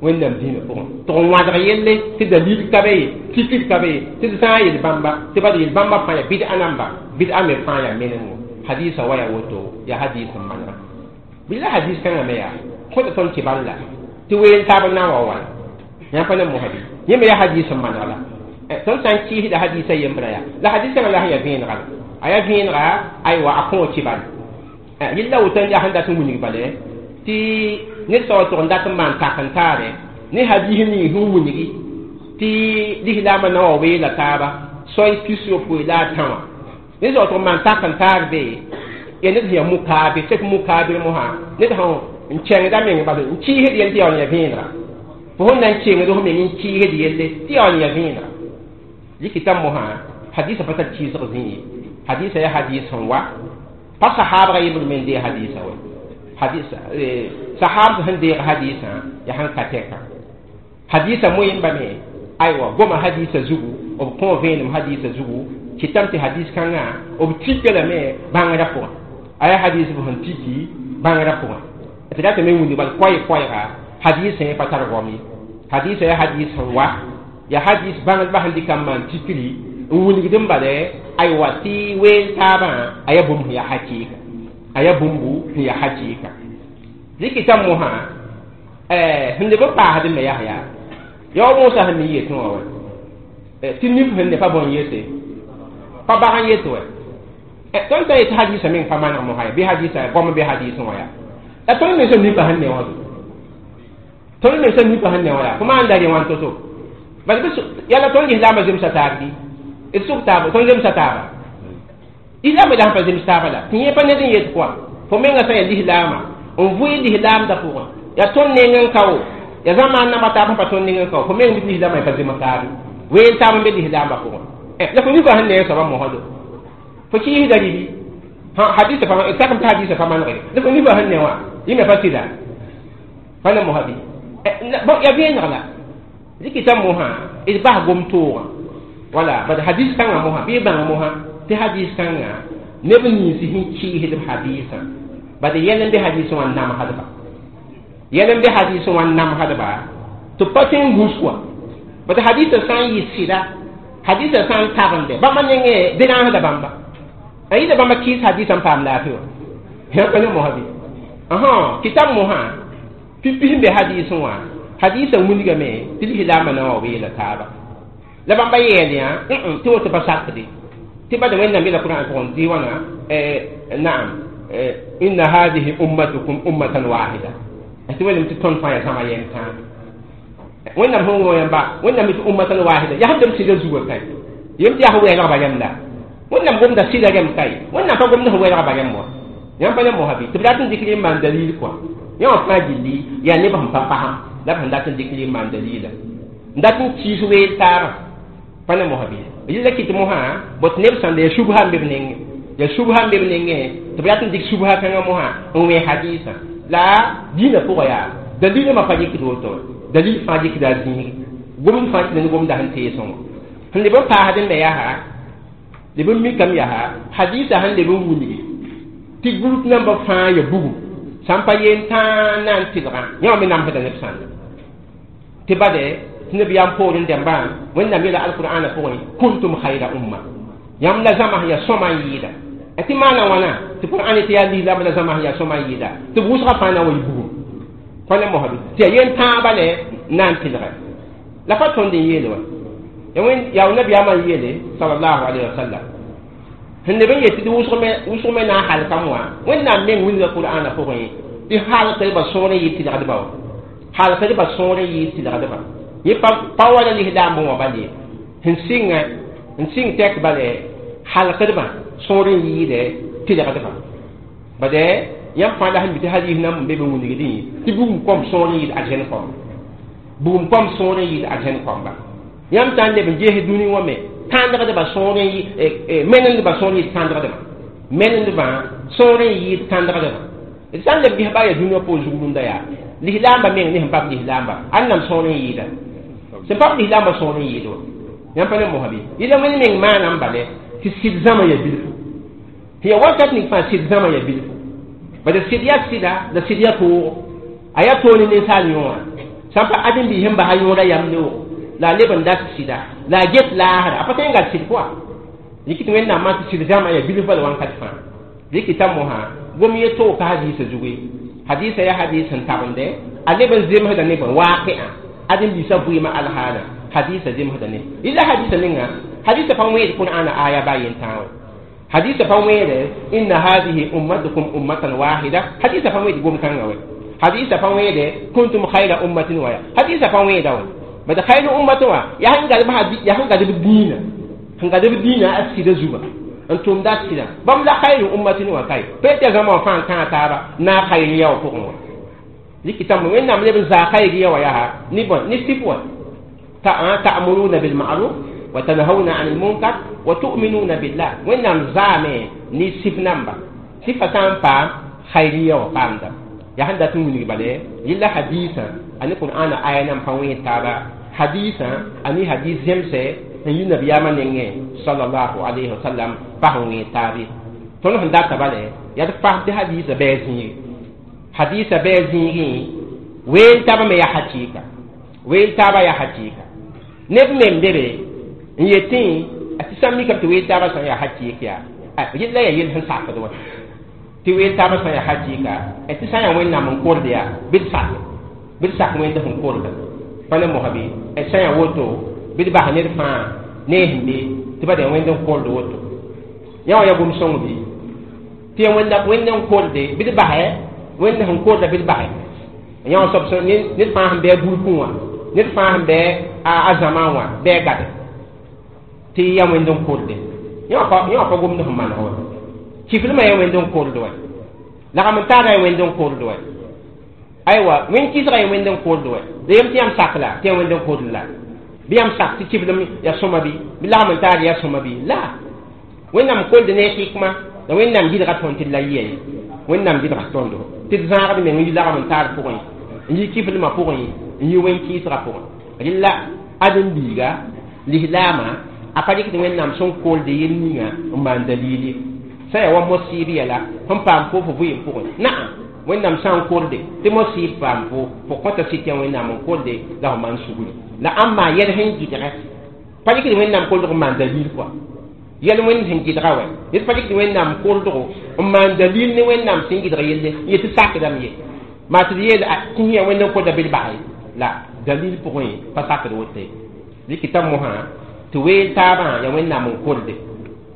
wẽnnaam dĩinã pʋgẽ tɩ n wãdg yelle tɩ dalil ka be ye tikr ka be ye tɩ d sã n yel bãmba tɩ bad yel bãmba fãa yaa bɩd-a namba bɩd-a me fãa yaa menengo hadisa wa yaa woto yaa hadis n manega bɩ la hadis kãngã me yaa kõta tõnd tɩ bal la tɩ weel taab n na n wa wala yã pa ne mosã bɩ yẽ me yaa hadis n maneg la tõnd sã n kɩɩsda hadisa yembra yaa la hadis kãngã la sẽn yaa vẽenega la a yaa vẽenega aywa a kõo tɩ bal yella woto n yaa sẽn dat n wilg bale tɩ ned soab tʋg n dat n maan tak n taare ne hadis ning sẽn wilgi tɩ lislaamã na wa weela taaba soay 63 la a tã wã ned soab tʋg n maan tak n taar be ya ned sẽn yaa mukaabir sek mukaabir mosã ned sẽn n kẽngda meng bas n kɩɩsd yell tɩ yaool n yaa vẽenega fo sẽn na n kengd f meng n kɩɩsd yelle tɩ yaool n yaa vẽenega rɩkɩta mosã hadisã pa tar kɩɩsg zĩ ye hadisã yaa hadis sẽn wa pa sahaabga yembr me n dee hadisã wa hadis sahab sẽn deeg hadisã yaa sẽn ka tɛka hadisa moyẽmba me aywa goma hadisa zugu b kõ vẽenem hadisa zugu kɩtame tɩ hadis kãngã b tika lame bãngrã pʋgẽ a yaa hadis b sẽn tiki bãngrã pʋgẽ tɩ ratame wĩndg bal koɛɛ-koɛɛga hadisã yẽ pa tar goam ye hadisã yaa hadis sẽn wa yaa hadis bãngdbã sẽn dɩka n maan tikri n wilgd n bale aywa tɩ weel taabã a yaa bũmb sẽn yaa hakɩɩka a yaa bũmbu sẽn yaa hakɩɩka rɩkɩta mosã sẽn leb n paasd me yaa yaa yao moosã sẽn me yetẽ wã wa tɩ nif sẽn ne pa bõn yete pa bag n yet wa tõnd sã n yet hadisã meng pa maneg mosã ya bɩ hadisã goam bɩ hadisẽ wã yaa la tõnd mensã nipa sẽn ne wã tõnd mensã nipa sẽn ne wã yaa fo maan da rẽ wãn to-to bala bɩ yala tõnd lislaambã zemsa taab bɩ d sʋk taaba tõnd zemsa taaba islaamã la sẽn pa zems taaba la tɩ yẽ pa ned n yet kɔa fo menga sã yaa lislaamã n vʋɩ lislaamdã pʋgẽ yaa tõnd neng n kao yaa zãmaan namba taab sẽn pa tõnd neng n kao fo meng bɩ lislaamã pa zems taabe weel taab n be lislaambã pʋgẽ la fo nipa sẽn ne soaba mosdo fo kɩɩsda ribi hadisa pa sakm tɩ hadisa pa manegre la fo nipa sẽn ne wã yẽ me pa sɩda pa ne mosã bɩ yaa vẽeneg la rɩkɩta mosã d bas gom-toogã wala bad hadis kãngã mosã bɩ bãng mosã tɩ hadis kãngã neb nins sẽn kɩɩsd b hadisã bad yɛl n be hadisẽ wã n namsdba yɛl n be hadisẽ wã n namsdba tɩ pa tõe n gũs wã bad hadisã sã n yɩ sɩda hadisã sã n tagende bãmba nengẽ derãasda bãmba a yɩla bãmba kɩɩs hadisã n paam laafɩ wã yã pa ne mosã bɩ kɩtam mosã pipi sẽn be hadisẽ wã hadisã wilgame tɩ lislaambã na wa weela taaba la bãmba yeel yã tɩ woto pa sakde tɩ bad wẽnnaam yeela Qur'an pʋgẽ tɩ wãna naam inna hadihi ummatukum ummatan wahida tɩ wẽnnaam tɩ tõnd fãa yaa zãma yɛm tãa wẽnnaam sẽn wõ yãmba wẽnnaam tɩ ummatan wahida yaa sẽn tɩ b sɩda zugã kae yem tɩ yaa sẽn wɛɛlgba yãmb la wẽnnaam gomda sɩda rẽmb kae wẽnnaam pa gomda sẽn wɛɛlgba yãmb wã yãmb pa ne mosã bɩ tɩ b rat n dɩk n maan dalil kɔa yã wã fãa gilli yaa neb sẽn pa pasã la b sẽn dat n dɩk n maan dalila n dat n kɩɩs weel taabã pa ne mosã bɩ yella kɩt mosã bot neb sãn yaa subha n be b nengẽ yaa subha n be b nengẽ tɩ b rat n dɩk subha kãngã mosã n wẽ hadisã la dĩinã pʋgã yaa dalilmã pa yikd woto dalil fãa yikda a zĩig gomd fãa kɩ ne gomda sẽn teesẽ wã sẽn leb n paasd n me yaa leb n mikame yaa hadisã sẽn leb n wilgi Tɩ group namba fãa ya bugum sãn pa yen tãa na n tɩlgã yã wã me namsda neb sãnda tɩ bade tɩ nabiyaam poorẽ dẽmbã Wẽnnaam yeela alqur'ana pʋgẽ kuntum khayra umma yãmb la zãma sẽn yaa sõma n yɩɩda tɩ maana wãna tɩ qur'an tɩ yaa lislaam la zãma sẽn yaa sõma n yɩɩda tɩ b wʋsgã fãa na n wa yɩ bugum pa ne mosbe tɩ yaa yen tãabã le na n tɩlgɛ la pa tõnd n yeele wa yaa nabiyaamã n yeele sallallahu alayhi wa sallam sẽn leb n yet tɩ wʋsg me na n halkame wã Wẽnnaam meng wilga qur'ana pʋgẽ tɩ halkdbã sõor n yɩ tɩlgdbã wa halkdbã sõor n yɩ tɩlgdbã yẽ pa wala lislaambẽ wã bal ye sẽn sɩngã n sɩng tɛk bale halkdbã sõor n yɩɩdɛ tɩlgdbã bade yãmb fãa la sẽn mi tɩ hadis nan n be be wilgdẽ tɩ bugum kõm sõor n yɩɩd argẽn kõmba bugum kõm sõor n yɩɩd argẽn kõmba yãmb sã n leb n ges dũni wã me kãndgdbã sõor n menendbã sõor n yɩɩd kãndgdbã menendbã sõor n yɩɩd kãndgdbã d sã n leb ges baa yaa dũniyã poor zug rũndã yaa lislaambã meng ne sẽn pap lislaamba ãnnam sõor n yɩɩda sẽn pap lislaambã sõor n yɩɩd wa yãmb pa ne mosã bɩ yɩla wẽnd meng maanam bale tɩ sɩd zãma ya bilfu tɩ ya wakat ning fãa sɩd zãma ya bilfu bala sɩd yaa sɩda la sɩd yaa toogo a yaa toog ne ninsaal yõora sãn pa ãdem-biis sẽn basa yõoda yam leoogo la a leb n dat sɩda la a get laasra a pa tõe n gat sɩd pʋga rɩk tɩ Wẽnnaam maan tɩ sɩd zãma ya bilf bala wãnkat fãa rɩk t'a mosã gom ye toog ka hadiisã zugu ye hadiisã yaa hadiis sẽn tabende a leb n zemsda ne bõe waaqɩã ãdem-biisã vɩɩmã alhaala hadiisã zemsda ne yɩla hadiisã ninga hadiisã pa wẽed qur'ana aya baa yen-tãa wã hadiisã pa wẽede inna hadihi ummatukum ummatan wahida hadiisã pa wẽed gom-kãngã wɛ hadiisã pa wẽede kuntum khayra ummatin waya hadiisã pa wẽeda wã bad khayru ummatin wã yaa sẽn gadb dĩinã sẽn gadb dĩinã a sɩda zugã n tʋmda a sɩda bãmb la khayru ummatin wã kae pa tɩ yaa zãma wã fãa n kãa taaba naag khayriya wã pʋgẽ wã rɩkɩtame Wẽnnaam leb n zaa khayriya wã yaa ne bõe ne sɩf wã ta'muruna bil ma'ruf wa tanhauna 'anil munkar wa tu'minuna billah Wẽnnaam zaame ne sɩf namba sɩfa sã n paam khayriya wã paamda yaa sẽn dat n wilg bale yɩla hadiisã a ne qur'ana aya nan pa wẽed taaba hadiisã a ne hadis zemsɛ n yi nabiyaamã nengẽ sallallahu alayhi wa sallam pa sẽn wẽed taab ye tõnd sẽn data bale yaa d fasd hadiisã bɩ a zĩigi hadiisã bɩ a zĩigẽ weel taabã me yaa hakɩɩka weel taabã yaa hakɩɩka neb mem bebe n yetẽ tɩ sã n mikame tɩ weel taabã sã n yaa hakɩɩk yaa yella yaa yell sẽn sakd wã tɩ weel taabã sã n yaa hakɩɩka tɩ sã n yaa Wẽnnaam n kord yaa bɩ d sak bɩ d sak Wẽnd sẽn korda pa ne mosã bɩ sã n yaa woto bɩ d bas ned fãa ne sẽn be tɩ ba da Wẽnd n kord woto yã wã yaa gom-sõng bɩ tɩ yaa Wẽnd n korde bɩ d basɛ Wẽnd sẽn korda bɩ d basɛ yã wã soab ned fãa sẽn bɩ a gurkẽ wã ned fãa sẽn bɩ a zãmã wã bɩ a gade tɩ yaa Wẽnd n korde yã wã pa gomd sẽn maneg wã kiflmã yaa Wẽnd n kord wã lagm n taara yaa Wẽnd n kord wã aywa wẽnd kɩsga yaa Wẽnd n kord wã la yem tɩ yãmb sak la tɩ yaa Wẽnd n kord la bɩ yãmb sak tɩ kiflem yaa sõma bɩ bɩ lagm n taar yaa sõma bɩ la Wẽnnaam kolde ne hikma la Wẽnnaam gɩdga tõnd tɩ d la yɩa ye Wẽnnaam gɩdga tõndo tɩ d zãagd meng n yi lagm n taar pʋgẽ n yi kiflmã pʋgẽ n yi wẽn kɩɩsgã pʋgẽ rɩla ãdem-biiga lislaamã a pa rɩkd Wẽnnaam sẽn kolde yel ninga n maan dalil ye sã yaa wa mosɩɩb yɛla sẽn paam fo fo vɩɩm pʋgẽ naam Wẽnnaam sã n korde tɩ mosɩɩb paam fo fo kõta sɩd tɩ Wẽnnaam n kolde la fo maan sugri la ãmb maa yɛl sẽn gɩdgɛ pa rɩkd Wẽnnaam koldg n maan dalil kɔa yɛl Wẽnd sẽn gɩdga wɛ ned pa rɩkd Wẽnnaam koldgo n maan dalil ne Wẽnnaam sẽn gɩdg yelle n yetɩ sakdame ye maa tɩ d yeel tɩ yã Wẽnd n kolda bɩ d bas la dalil pʋgẽ pa sakd woto ye rɩkɩta mosã tɩ weel taabã yaa Wẽnnaam n kolde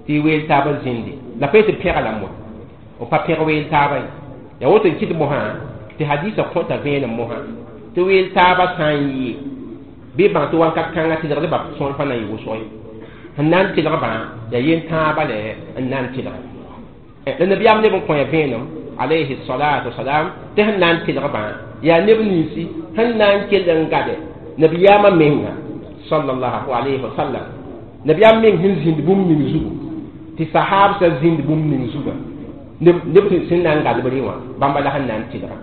tɩ weel taabã zĩnde la pa yetɩ pẽglame wa b pa pẽg weel taabã ye yaa woto n kɩt mosã tɩ hadiisã kõta vẽenem mosã tɩ weel taabã sã n yɩ bɩ bãng tɩ wãnkat kãngã tɩlgdbã sõor pa na n yɩ wʋsg ye sẽn na n tɩlgbã yaa yen-tãabã la n na n tɩlga la nabiyaam neb n kõ ya vẽenem alayhi salatu wasalam tɩ sẽn na n tɩlgbã yaa neb ninsi sẽn na n kell n gade nabiyaamã menga sallallahu alayhi wa sallam nabiyaam meng sẽn zĩnd bũmb ning zugu tɩ sahaabsã zĩnd bũmb ning zugã neb sẽn na n gadb rẽ wã bãmba la sẽn na n tɩlga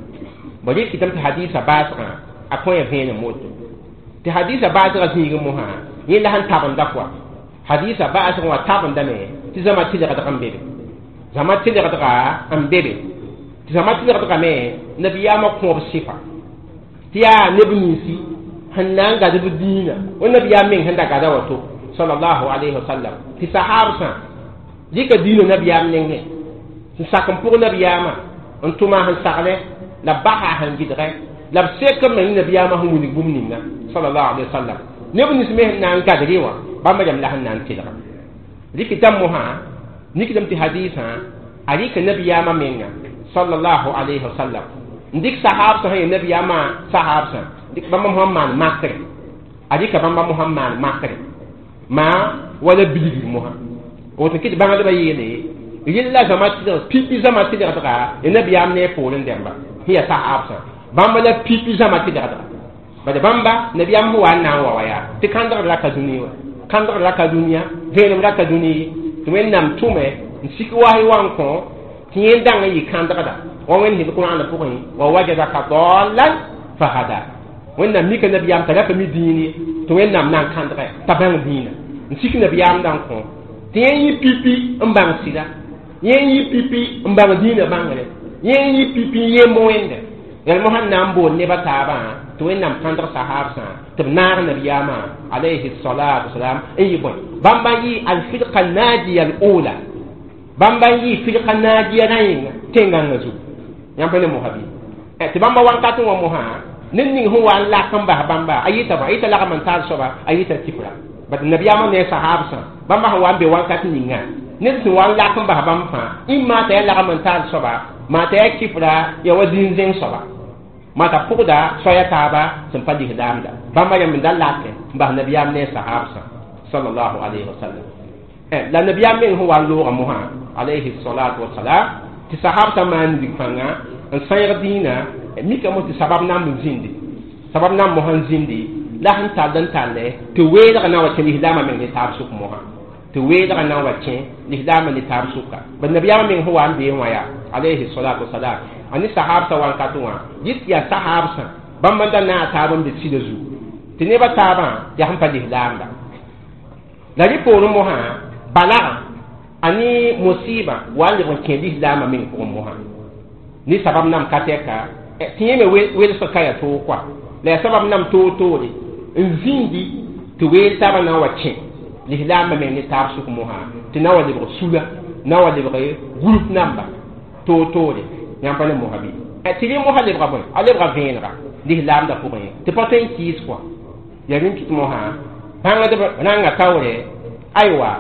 bõ rɩkɩtame tɩ hadiisã baasgã a kõ ya vẽenem woto tɩ hadiisã baasgã zĩigẽ mosã yẽ la sẽn tabenda kɔa hadiisã baasgã wã tabendame tɩ zãma tɩlgdg n be be Zãma tɩlgdga n be be tɩ zãma tɩlgdga me nabiyaamã kõob sɩfa tɩ yaa neb ninsi sẽn na n gad b dĩinã wa nabiyaam meng sẽn da gada wato sallallahu alayhi wa sallam tɩ sahabsã dɩka dĩinã nabiyaam nengẽ sẽn sak n pʋg nabiyaamã n tʋma sẽn saglẽ la b basa sẽn gɩdgẽ la b sek n meng nabiyaamã sẽn wilg bũmb ninga sallallahu alayhi wa sallam neb nins me sẽn na n gadre wã bãmba rãmb la sẽn na n tɩlga rɩkɩ mosã nikdame tɩ hadiisã a rɩka nabiyaamã menga sallallahu alayhi wa sallam n dɩk sahabsã sẽn ya nabiyaamã sahabsã dɩk bãmba mosã maan makre a rɩka bãmba mosã maan makre maa wala bilgr mosã woto kɩ tɩ bãngdbã yeele rɩlla zãma tɩlg pipi zãma tɩlgdga ya nabiyaam ne a poorẽ dẽmba sẽn ya sahabsã bãmba la pipi zãma tɩlgdga bad bãmba nabiyaam sẽn wa n na n wa wa yaa tɩ kãndgr ra ka dũni wa kãndgr ra ka dũniyã vẽenem ra ka dũni ye tɩ Wẽnnaam tʋme n sik was y wa n kõ tɩ yẽ dãng n yɩ kãndgda wa Wẽnd sẽd Kurãana pʋgẽ wa wajadaka dalan fahada Wẽnnaam mika nabiyaam t'a ra pa mi dĩin ye tɩ Wẽnnaam na n kãndgɛ t'a bãng dĩinã n sik nabiyaam da n kõ tɩ yẽ yɩ pipi n bãng sɩda yẽ yɩ pipi n bãng dĩinã bãngre yẽ yɩ pipi n yemb Wẽnde yãl mosã n na n bool nebã taabã tɩ Wẽnnaam kãndg sahabsã tɩ b naag nabiyaamã alayhi salatu wasalam n yɩ bõe bãmba n yɩ alfirqa najiya al ula bãmba n yɩ firqa najiya rã yẽnga tẽn-gãngã zugu yãmb pa ne mosã bɩ tɩ bãmba wakat n wa mosã ned ning sẽn wa n lak n bas bãmba a yɩta bã a yɩta lagm n taal soaba a yɩta kifra bat nabiyaamã ne sahabsã bãmba sẽn wa n be wakat ninga ned sẽn wa n lak n bas bãmb fãa ĩmma t'a yaa lagm n taal soaba maa t'a yaa kifra ya wa zĩn-zẽng soaba maa t'a pʋgda soaya taaba sẽn pa lislaamda bãmba yãmb n da lake n bas nabiyaam ne sahabsã sallallahu alayhi wa sallam la nabiyaam meng sẽn wa n loogã mosã alayhi salatu wasalam tɩ sahabsã maan rig fãnga n sãeeg dĩinã mika mos tɩ sabab namb n zĩndi sabab namb mosã n zĩndi la sẽn tall n talle tɩ weelgã na n wa kẽ lislaamã meng ne taab sʋk mosã tɩ weelgã na n wa kẽ lislaamã ne taab sʋka bad nabiyaamã meng sẽn wa n bee wã yaa alayhi salatu wasalam a ne sahabsã wankatẽ wã yɩt yaa sahabsã bãmb n da naag taab n be sɩda zugu tɩ nebã taabã yaa sẽn pa lislaamda la rẽ poorẽ mosã balagã a ne musiba wa n leb n kẽ lislaamã meng pʋgẽ mosã ne sabab nam ka tɛka tɩ yẽ me welsg ka yaa toog kɔa la yaa sabab nam toor-toore n zĩndi tɩ weel taabã na n wa kẽ lislaamã meng ne taab sʋk mosã tɩ na wa lebg sula na wa lebg group namba toor-toore yãmb pa ne mosã bɩ tɩ rẽ mosã lebga bõe a lebga vẽenega lislaamdã pʋgẽ tɩ pa tõe n kɩɩs kɔa yaa rẽn kɩt mosã bãngdb rãnga taoore aywa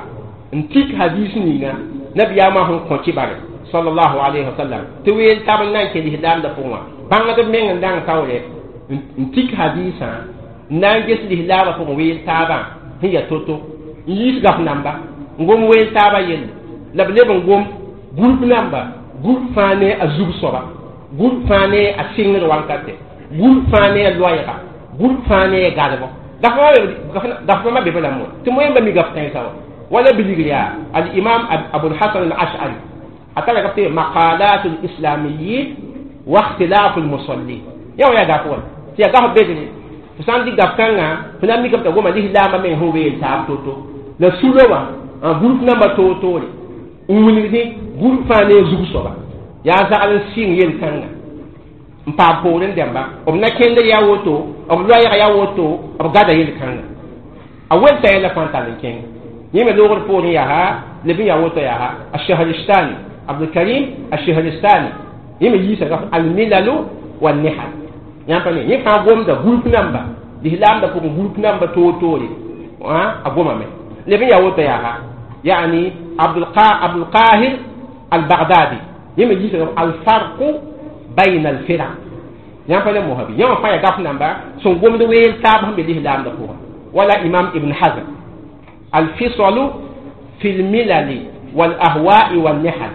n tik hadis ninga nabiyaamã sẽn kõ kibare sallallahu alayhi wa sallam tɩ weel tab n na n kẽ lislaamdã pʋgẽ wã bãngdb meng n dãng taoore n tik hadisã n na n ges lislaamã pʋgẽ weel taabã sẽn yaa to-to n yiis gaf namba n gom weel taabã yelle la b leb n gom group namba group fãa ne a zug soaba group fãa ne a sɩngd wankate group fãa ne a loɛɛga group fãa ne a gadbɔ gaf bãmba be be la mo tɩ moyẽmba mi gaf kãensã wa wala bilgr yaa al-imam Abul Hasan al-Ash'ari a tara gaf tɩ maqalat al-islamiyin wa ikhtilaf al-musallin yã wã yaa gaf wã tɩ yaa gaf bedre fo sã n dɩk gaf kãngã fo na n mikame t'a goma lislaamã meng sẽn weel taab to-to la sulã wã n group namba toor-toore n wilgdẽ group fãa ne a zug soaba yaa zagl n sɩng yel-kãnga n paam poorẽ dẽmba b na kẽndr yaa woto b loɛɛg yaa woto b gada yel-kãnga a welta yɛla fãa tall n kẽng yẽ me loogr poorẽ yaa leb n yaa woto yaa Ashahristani Abdulkarim Ashahristani yẽ me yiisa gaf almilalu wannihal yãmb pa ne yẽ fãa gomda group namba lislaamda pʋgẽ group namba toor-toore a gomame leb n yaa woto yaa yani Abdulqahir Albagdadi yẽ me yiisa gaf alfarqu bayna alfiraq yãmb pa ne mosã bɩ yẽ wã fãa yaa gaf namba sẽn gomd weel taab sẽn be lislaamda pʋgẽ wala imam Ibn Hazm alfisalu fi lmilali walahwai wannihal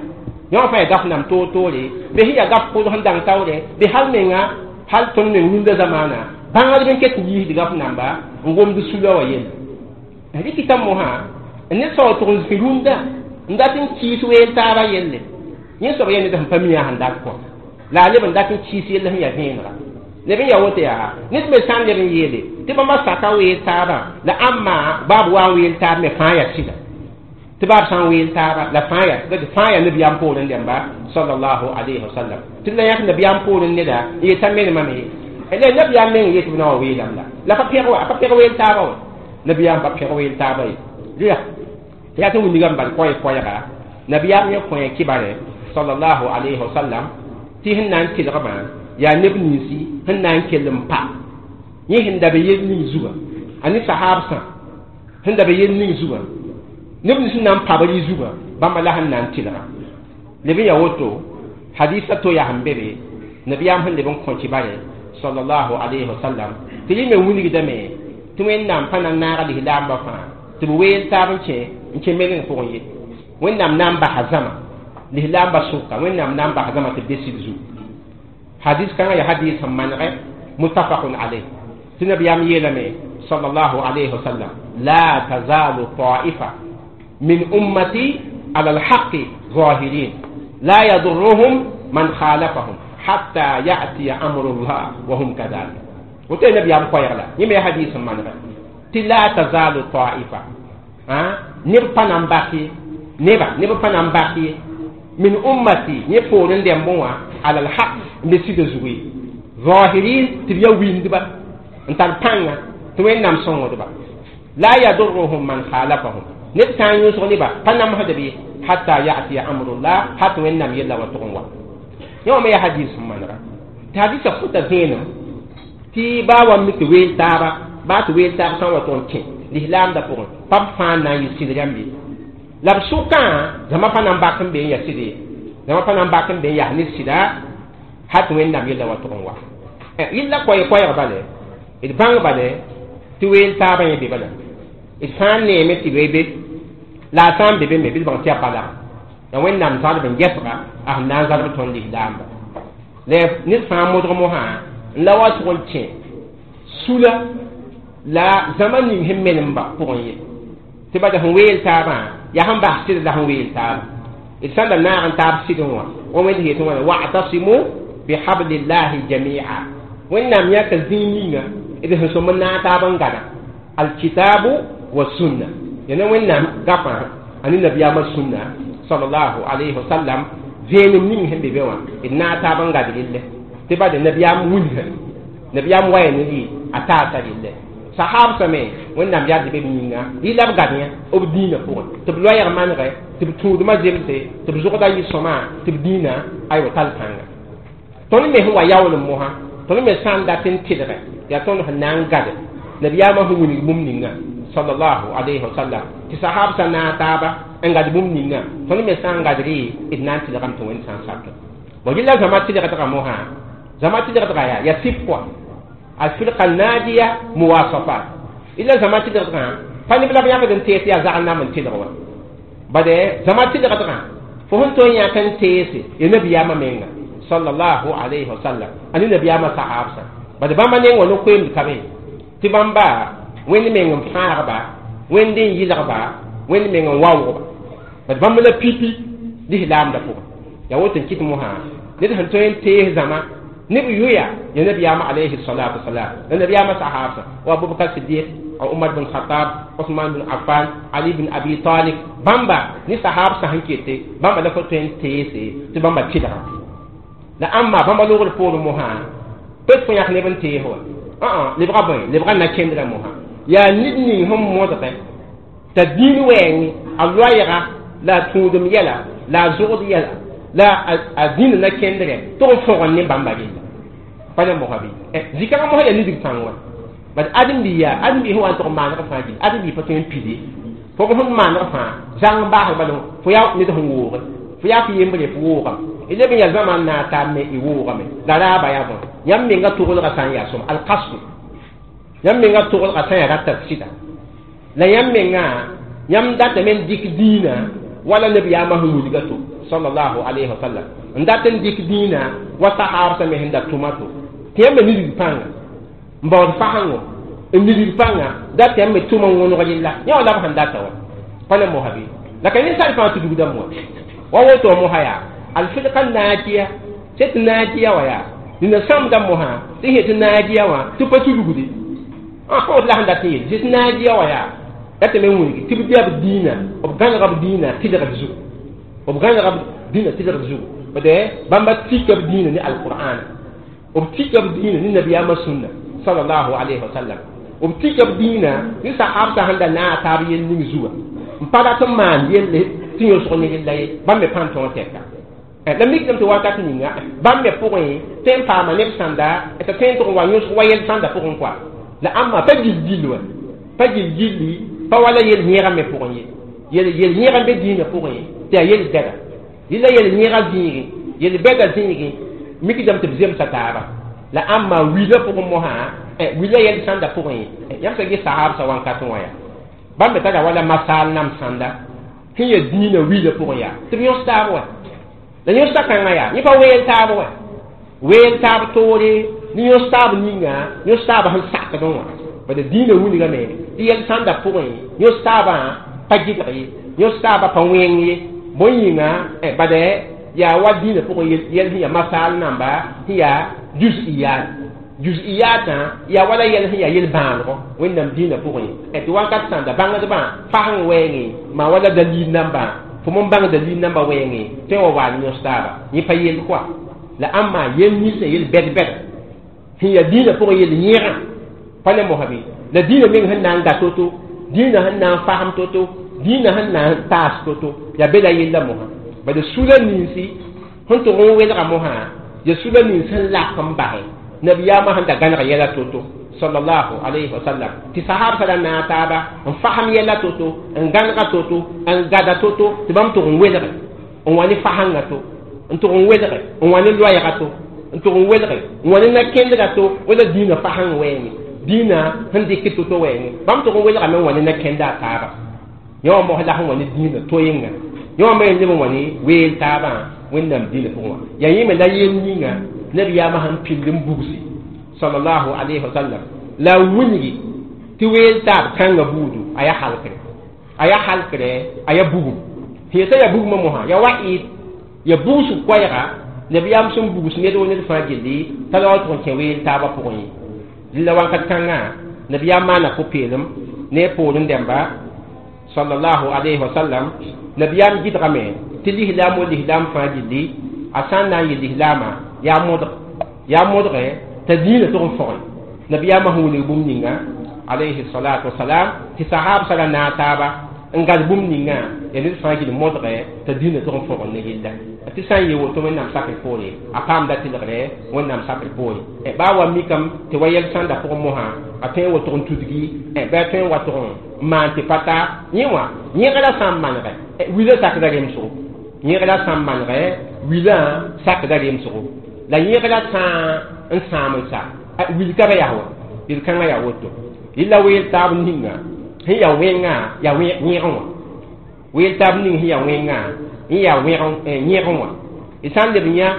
yẽ wã fãa yaa gaf nam toor-toore bɩ sẽn yaa gaf pʋʋd sẽn dãng taoore bɩ hal menga hal tõnd meng rũndã zamaana bãngdb n ket n yiisd gaf namba n gomd sula wã yelle rɩkɩta mosã ned soab tʋg n zĩ rũndã n dat n kɩɩs weel taabã yelle yẽ soab yaa ned sẽn pa mi yaa sẽn dat kõ la a leb n dat n kɩɩs yell sẽn yaa vẽenega leb n yaa woto yaa ned me sã n leb n yeele tɩ bãmba saka weel taabã la ãmba baab wa n weel taab me fãa yaa sɩda Tɩ baa b sã n weel taaba la fãa yaa fãa yaa nabiyaam poorẽ dẽmba sallallahu alayhi wa sallam tɩ la yãk nabiyaam poorẽ neda n yetã menemame la nabiyaam meng yetɩ b na wa weelame la la pa pẽg wa pa pẽg weel taaba wa nabiyaam pa pẽg weel taaba ye rɩa yaa tɩ wilgame bal koɛɛ-koɛɛga nabiyaam yẽ kõe kibare sallallahu alayhi wa sallam tɩ sẽn na n tɩlgmã yaa neb ninsi sẽn na n kell n pa yẽ sẽn da be yel ning zugã a ne sahaabsã sẽn da be yel ning zugã neb nins sẽn na n pabr y zugã bãmba la sẽn na n tɩlga leb n yaa woto hadisa to yaa sẽn be be nabiyaam sẽn leb n kõ kibare sallallahu alayhi wa sallam tɩ rẽ me wilgdame tɩ wẽnnaam pa na n naag lislaambã fãa tɩ b weel taab n kẽ meleng pʋgẽ ye wẽnnaam na n basa zãma lislaambã sʋka wẽnnaam na n basa zãma tɩ b be sɩd zugu hadis kãngã yaa hadis sẽn manegɛ muttafaqun alayh tɩ nabiyaam yeelame sallallahu alayhi wa sallam la tazalu ta'ifa min ummati ala alhaqi zahirin la yadurruhum man khalafahum hatta ya'tiya amrullah wa hum kadhalik woto nabiyaam koɛɛg la yẽ me hadis sẽn manegɛ tɩ la tazalu ta'ifa neb pa na n bas ye neba neb pa na n bas ye min ummati yẽ poorẽ dẽmbẽ wã ala alhaq n be sɩda zugu ye zahirin tɩ b ya windba n tar pãnga tɩ wẽnnaam sõngdba la yadurruhum man khalafahum neb sã n yõsg neba pa namsdb ye hatta ya'tiya amrullah hat wẽnnaam yella wa tʋg n wa yẽ wã me yaa hadis sẽn manega tɩ hadisã fʋta vẽenem tɩ baa wa mi tɩ weel taaba baa tɩ weel taab sã n wa tʋg n kẽ lislaamdã pʋgẽ pa b fãa n na n yɩ sɩd rãmb ye la b sʋkã zãma pa na n bak n be n yaa sɩd ye zãma pa na n bak n be n yaa ne sɩda hat wẽnnaam yella wa tʋg n wa yella koɛɛ-koɛɛg bale d bãng bale tɩ weel taabã yẽ be bala d sã n neeme tɩ be be la a sã n be be me bɩ d bãng tɩ yaa bala la wẽnnaam zalb n gɛsga a sẽn na n zalb tõnd lislaamba la ned fãa modg mosã n la wa tʋg n kẽ sula la zãma ning sẽn menemba pʋgẽ ye tɩ bada sẽn weel taabã yaa sẽn bas sɩd la sẽn weel taaba d sã n da naag n taab sɩdẽ wã wa wẽnd yetɩ wãna wa'tasimu bihablillahi jamia wẽnnaam yãka zĩig ninga d sẽn sõm n naag taab n gada alkitabu wa sunna yãna wẽnnaam gafã a ne nabiyaamã sũnna sallallahu alayhi wa sallam vẽenem ning sẽn be be wã d naag taab n gad relle tɩ bade nabiyaam wilga nabiyaam waya ne rɩ a taasa relle sahabsã me wẽnnaam yard be b yĩnga rɩ la b gad yã b dĩinã pʋgẽ tɩ b loɛɛg manegɛ tɩ b tũudmã zemse tɩ b zʋgda yɩ sõma tɩ b dĩinã aywa tall pãnga tõnd me sẽn wa yaool n mosã tõnd me sã n dat n tɩlgɛ yaa tõnd sẽn na n gade nabiyaamã sẽn wilg bũmb ninga sallallahu alayhi wa sallam tɩ sahabsã naag taaba n gad bũmb ninga tõnd me sã n gad rɩ d na n tɩlgame tɩ wẽnd sã n sak bon yella zãma tɩlgdgã mosã zãma tɩlgdgã yaa ya sɩp kɔa alfirqa najiya muwasafat illa zãma tɩlgdgã pa neb la b yãkd n tees yaa zag n nam n tɩlg wã bade zãma tɩlgdgã fo sẽn tõe n yãk n teese ya nabiyaamã menga sallallahu alayhi wa sallam a ne nabiyaamã sahabsã bade bãmba neng wã no-koeemd ka be tɩ bãmba wẽnd meng n fãagba wẽnd n yɩlgba wẽnd meng n waoogba bad bãmb la pipi lislaamdã pʋgẽ yaa woto n kɩt mosã ned sẽn tõe n tees zãma neb yʋya ya nabiyaamã alayhi salatu wasalam la nabiyaamã sahabsã wa abubakar sidiq umar bin khatab usman bin affan ali bin abi talib bãmba ne sahabsã sẽn kete bãmba la fo tõe n teese tɩ bãmba tɩlga la ãmba bãmba logr poorẽ mosã pet fo yãk neb n tees wa lebga bõe lebga na kendrã mosã yaa ned ning sẽn modgɛ t'a dĩin wɛɛngẽ a loɛɛga la a tũudem yɛla la a zʋgd yɛla la a dĩnd na kendrɛ tʋg n fõgen ne bãmba rella pa ne mosã bɩ zikãngã mosã yaa nidg pãng wã bad ãdem-bi yaa ãdem-bi sẽn wa n tʋg n maaneg fãa gil ãdem-bi pa tõe n pide fo b sẽn maaneg fãa zãng n baasg bala fo yaa ned sẽn wooge fo yaa fo yembre fo woogame d leb n yaa zãma n naag taab me y woogame la raaba yaa bõe yãmb menga toglgã sã n yaa sõm alkasdu yãmb menga toglgã sã n yaa rata sɩda la yãmb menga yãmb datame n dɩk dĩinã wala nabiyaamã sẽn wilga to sallallahu alayhi wa sallam n dat n dɩk dĩinã wa sahabsã me sẽn da tʋma to tɩ yãmb me nidg pãnga n baood fasengo n nidg pãnga dat yãmb me tʋm n wõneg yella yã wa la b sẽn data wã pa ne mosa bɩ la ka ninsaal fãa tudgda moa wa woto mosa yaa alfirqa naajiya tɩ naajiya wã yaa dĩnã sãmbda mosã tɩ sẽ tɩ naajiya wã tɩ pa tudgde pa woto la sẽn dat n yel tɩ naajiya wã yaa Tɩ me wilgi tɩ b dɩ b dĩinã b gãnega b dĩinã tɩlgd zugu b gãnega b dĩinã tɩlgd zugu bade bãmba tika b dĩinã ne alqur'ana b tika b dĩinã ne nabiyaamã sũnna sallallahu alayhi wa sallam b tika b dĩinã ne sahabsã sẽn da naag taab yell ning zuga n pa rat n maan yelle tɩ yõsg ne yella ye bãmb me pãn tõog tɛka la mikdame tɩ wakat ninga bãmb me pʋgẽ tõe n paama neb sãnda t'a tõe n tʋg n wa yõsg wa yɛl sãnda pʋgẽ koa la ãmba pa gil-gill wa pa gil-gilli pa wala yel yẽega me pʋgẽ ye yel yẽega n be dĩinã pʋgẽ tɩ yaa yel bɛda yella yel yẽega zĩigẽ yel bɛda zĩigẽ mikdame tɩ b zemsa taaba la ãmba wila pʋgẽ mosã wila yɛl sãnda pʋgẽ yãmb sã ges sahabsã wãnkat wã yaa bãmb me tara wala masaal nam sãnda sẽn ya dĩinã wila pʋgẽ yaa tɩ b yõs taab wa la yõsda kãngã yaa yẽ pa weel taab wa weel taab toore ne yõs taab ninga yõs taab sẽn sakdẽ wã bala dĩinã wilgame tɩ yɛl sãnda pʋgẽ yõs taabã pa gɩdg ye yõs taabã pa wẽng ye bõe yĩnga bala yaa wa dĩinã pʋgẽ yɛl sẽn yaa masaal namba sẽn yaa juz'iyat juz'iyatã yaa wala yɛl sẽn yaa yel-bãanegɔ wẽnnaam dĩinã pʋgẽ tɩ wakat sãnda bãngdbã fasẽng wɛɛngẽ maa wala dalil nambã fo n bãng dalil nambã wɛɛngẽ tõe n wa waal yõs taaba yẽ pa yell koa la ãmba yel ninsã yel bɛd-bɛd sẽn yaa dĩinã pʋgẽ yel yẽgã pa ne mosã bɩ la dĩinã meng sẽn na n ga to-to dĩinã sẽn na n fasem to-to dĩinã sẽn na n taas to-to yaa be la yella mosã bala sula ninsi sẽn tʋg n welga mosã ya sula nins sẽn lak n basɛ nabiyaamã sẽn da gãneg yɛla to-to sallallahu alayhi wa sallam tɩ sahabsã ra naag taaba n fasem yɛla to-to n gãnega to-to n gada to-to tɩ bãmb tʋg n welge n wa ne fasẽngã to n tʋg n welge n wa ne loɛɛga to n tʋg n welge n wa ne na-kẽndga to wala dĩinã fasẽng wɛɛngẽ dĩinã sẽn dɩk to-to wɛɛngẽ bãmb tʋg n welgame n wa ne na-kẽnda a taaba yẽ wã mos la sẽn wa ne dĩinã to-yẽnga yẽ wã me leb n wa ne weel taabã wẽnnaam dĩinã pʋgẽ wã yaa yẽ me la yel ninga nabiyaamã sẽn pind n bugsi sallallahu alayhi wa sallam la wilgi tɩ weel taab kãngã buudu a yaa halkre a yaa halkre a yaa bugum sẽn yetã yaa bugmã mosã yaa wa ɩd ya bugsg koɛɛga nabiyaam sẽn bugs ned wo ned fãa gilli t'a la wa tʋg n kẽ weel taabã pʋgẽ ye rɩla wãnkat kãngã nabiyaam maana pʋ-peelem ne a poorẽ dẽmba sallallahu alayhi wa sallam nabiyaam gɩdgame tɩ lislaam wo lislaam fãa gilli a sã n na n yɩ lislaamã yaa modge t'a dĩinã tʋg n fõge nabiyaamã sẽn wilg bũmb ninga alayhi salatu wasalam tɩ sahabsã ra naag taaba n gad bũmb ninga ya ned fãa gil modge t'a dĩinã tʋg n fõgd ne yella tɩ sã n yee woto wẽnnaam sakr poore a paamda tɩlgre wẽnnaam sakr poore baa wa mikame tɩ wa yɛl sãnda pʋgẽ mosã a tõe n wotg n tudgi bɩ a tõe n wa tʋg n maan tɩ pa ta yẽ wã yẽgra sã n manegɛ wilã sakda remsgo yẽgra sã n manegɛ wilã sakda remsgo la yẽgra sã n sãam n sa wil ka ba yaa wa yel-kãngã yaa woto yella weel taab ninga sẽn yaa wẽngã yaa yẽgẽ wã weel taab ning sẽn yaa wẽngã n yaa yẽgẽ wã y sã n leb yã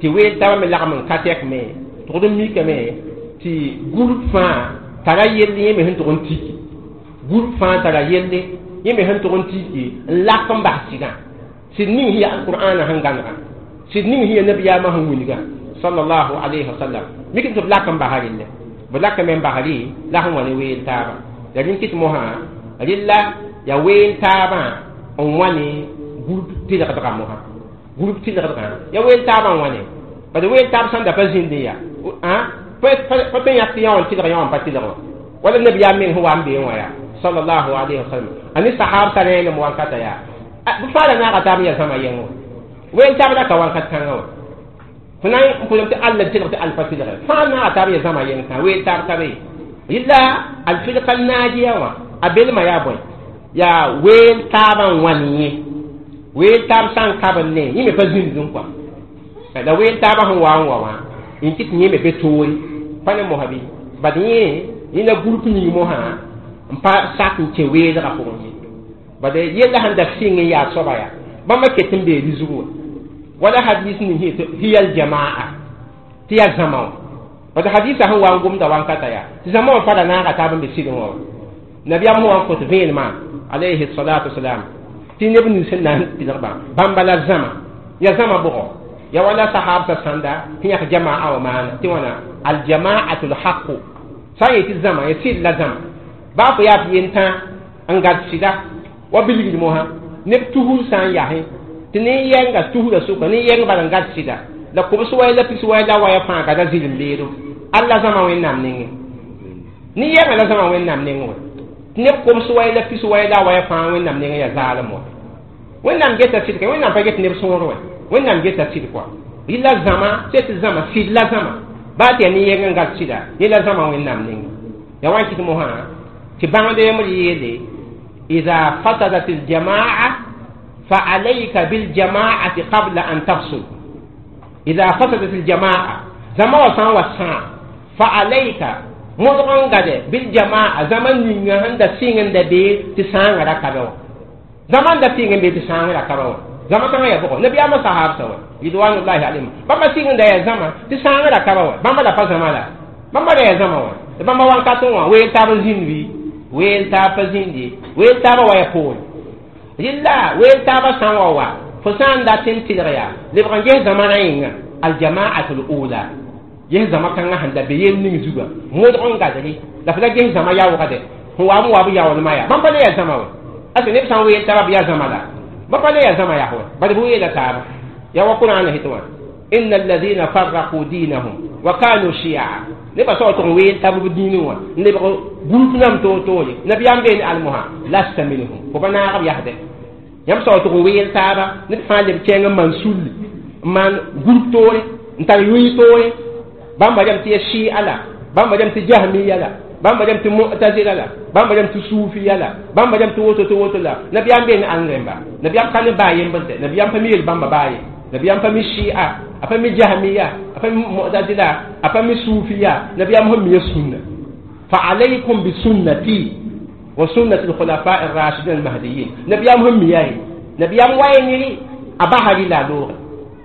tɩ weel taabã me lagm n ka tɛk me tʋgd n mikame tɩ group fãa tara yell yẽ me sẽn tʋg n tiki group fãa tara yelle yẽ me sẽn tʋg n tiki n lak n bas sɩdã sɩd ning sẽn yaa alqur'ana sẽn gãnega sɩd ning sẽn yaa nabiyaamã sẽn wilga sallallahu alayhi wa sallam mik tɩ b lak n basa relle b lakame n basri la sẽn wa ne weel taabã ya rẽn kɩt mosã rella ya weel taabã n wa ne group tɩlgdgã mosã group tɩlgdgã ya weel taabã n wa ne bad weel taab sãn da pa zĩndẽ yaa pa tõe yãk tɩ yã wã n tɩlg yã wã n pa tɩlg wã wala nabiyaam meng sẽn wa n beẽ wã yaa sallallahu alayhi wa sallam a ne sahabsã rẽenem wankata yaa b fãa ra naaga taab n yaa zãma yɛng wã weel taab ra ka wakat kãngã wã fo na n pʋlem tɩ alla tɩlg tɩ all pa tɩlge fãa naaga taab yaa zãma yɛng tã weel taab ka be yella alfirka naajiya wã a belmã yaa bõe yaa weel taabã n wãn yẽ weel taab sã n kab n ne yẽ me pa zĩndẽ kɔa la weel taabã sẽn wa n wa wã n kɩt yẽ me be toore pa ne mosã bɩ bad yẽ yẽ la group ning mosã n pa sak n kẽ weelgã pʋgẽ ye bad yella sẽn da sɩng n yaa soaba yaa bãmba ket n bee rɩzg wã wala hadis ning hiya aljamaa tɩ yaa zãma wã bad hadisã sẽn wa n gomda wankata yaa tɩ zãma wã pa ra naaga taab n be sɩdẽ wã wa nabiyaam sẽn wa n kõt vẽenemã alayhi salatu wasalam tɩ neb nins sẽn na n tɩlgbã bãmba la zãma ya zãma bʋgɔ ya wala sahabsã sãnda sẽn yãk jamaa wã maana tɩ wãna aljamaatu lhaqu sã n yetɩ zãma ya sɩd la zãma baa fo yaa f yentã N gad sɩda wa bilgd mosã neb tusr sã n yasẽ tɩ nin-yɛnga tusrã sʋka nin-yɛng bala n gad sɩda la kobs waya la pis waya la waya fãa gada zɩlem beedo alla zãma wẽnnaam nengẽ nin-yɛngã la zãma wẽnnaam nengẽ wã tɩ neb kobs waya la pis waya la waya fãa wẽnnaam nengẽ yaa zaalem wã wẽnnaam geta sɩd ka wẽnnaam pa get neb sõor wã wẽnnaam geta sɩd kɔa rɩla zãma tɩ zãma sɩd la zãma baa tɩ yaa nin-yɛng n gad sɩda yẽ la zãma wẽnnaam nengẽ ya wa n kɩt mosã tɩ bãngd yembr yeele إذا فسدت الجماعة فعليك بالجماعة قبل أن تفسد. إذا فسدت الجماعة زما وسان وسان فعليك مدغن غد بالجماعة زمن نيغا هند سينغ دبي تسان ركبو زمان دا سينغ بي تسان ركبو زما كان يا بوكو نبي أما صحاب سوا رضوان الله عليهم بما سينغ دا يا زما تسان ركبو بما دا فزما لا بما دا يا زما بما وان كاتون وي تاب زينوي weel taab pa zĩndi weel taabã wa ya poore rɩla weel taabã sã n wa wa fo sã n dat n tɩlg yaa lebg n ges zãma rã yĩnga aljamaat ula ges zãma kãngã sẽn da be yel ning zuga modg n gadre la fo la ges zãma yaoogde sẽn wa n wa b yaoolmã yaa bãmb pa le yaa zãma wa ase neb sã n weel taabã b yaa zãma la ba pa le yaa zãma yaa wa bad b weela taaba yaa wa Qur'an het wã inna alladhina farraqu dinahum wa kanu shi'a neba sao tɩg n weel tab b dĩinẽ wã n lebg group nam toor-toore nabiyaam beene almosã lasta minhum fo pa naag b yasdɛ yãmb sao tɩg n weel taaba ned fãa leb kẽeng n maan sulli n maan group toore n tar yʋɩ toore bãmba rem tɩ ya shia la bãmba rem tɩ jahmiya la bãmba rem tɩ mu'tazila la bãmba rem tɩ suufiya la bãmba rem tɩ woto tɩ woto la nabiyaam beene ãn rẽmba nabiyaam ka ne baa yembr dɛ nabiyaam pa mi yel bãmba baa ye nabiyaam pa mi shia a pa mi jahmiya a pa mi mu'tazila a pa mi suufiya nabiyaam sẽn mi ya sunna fa alaykum bi sunnati wa sunnati al-khulafa ar-rashidin al-mahdiyyin nabiyaam sẽn mi yaa ye nabiyaam wa ye a basri la loore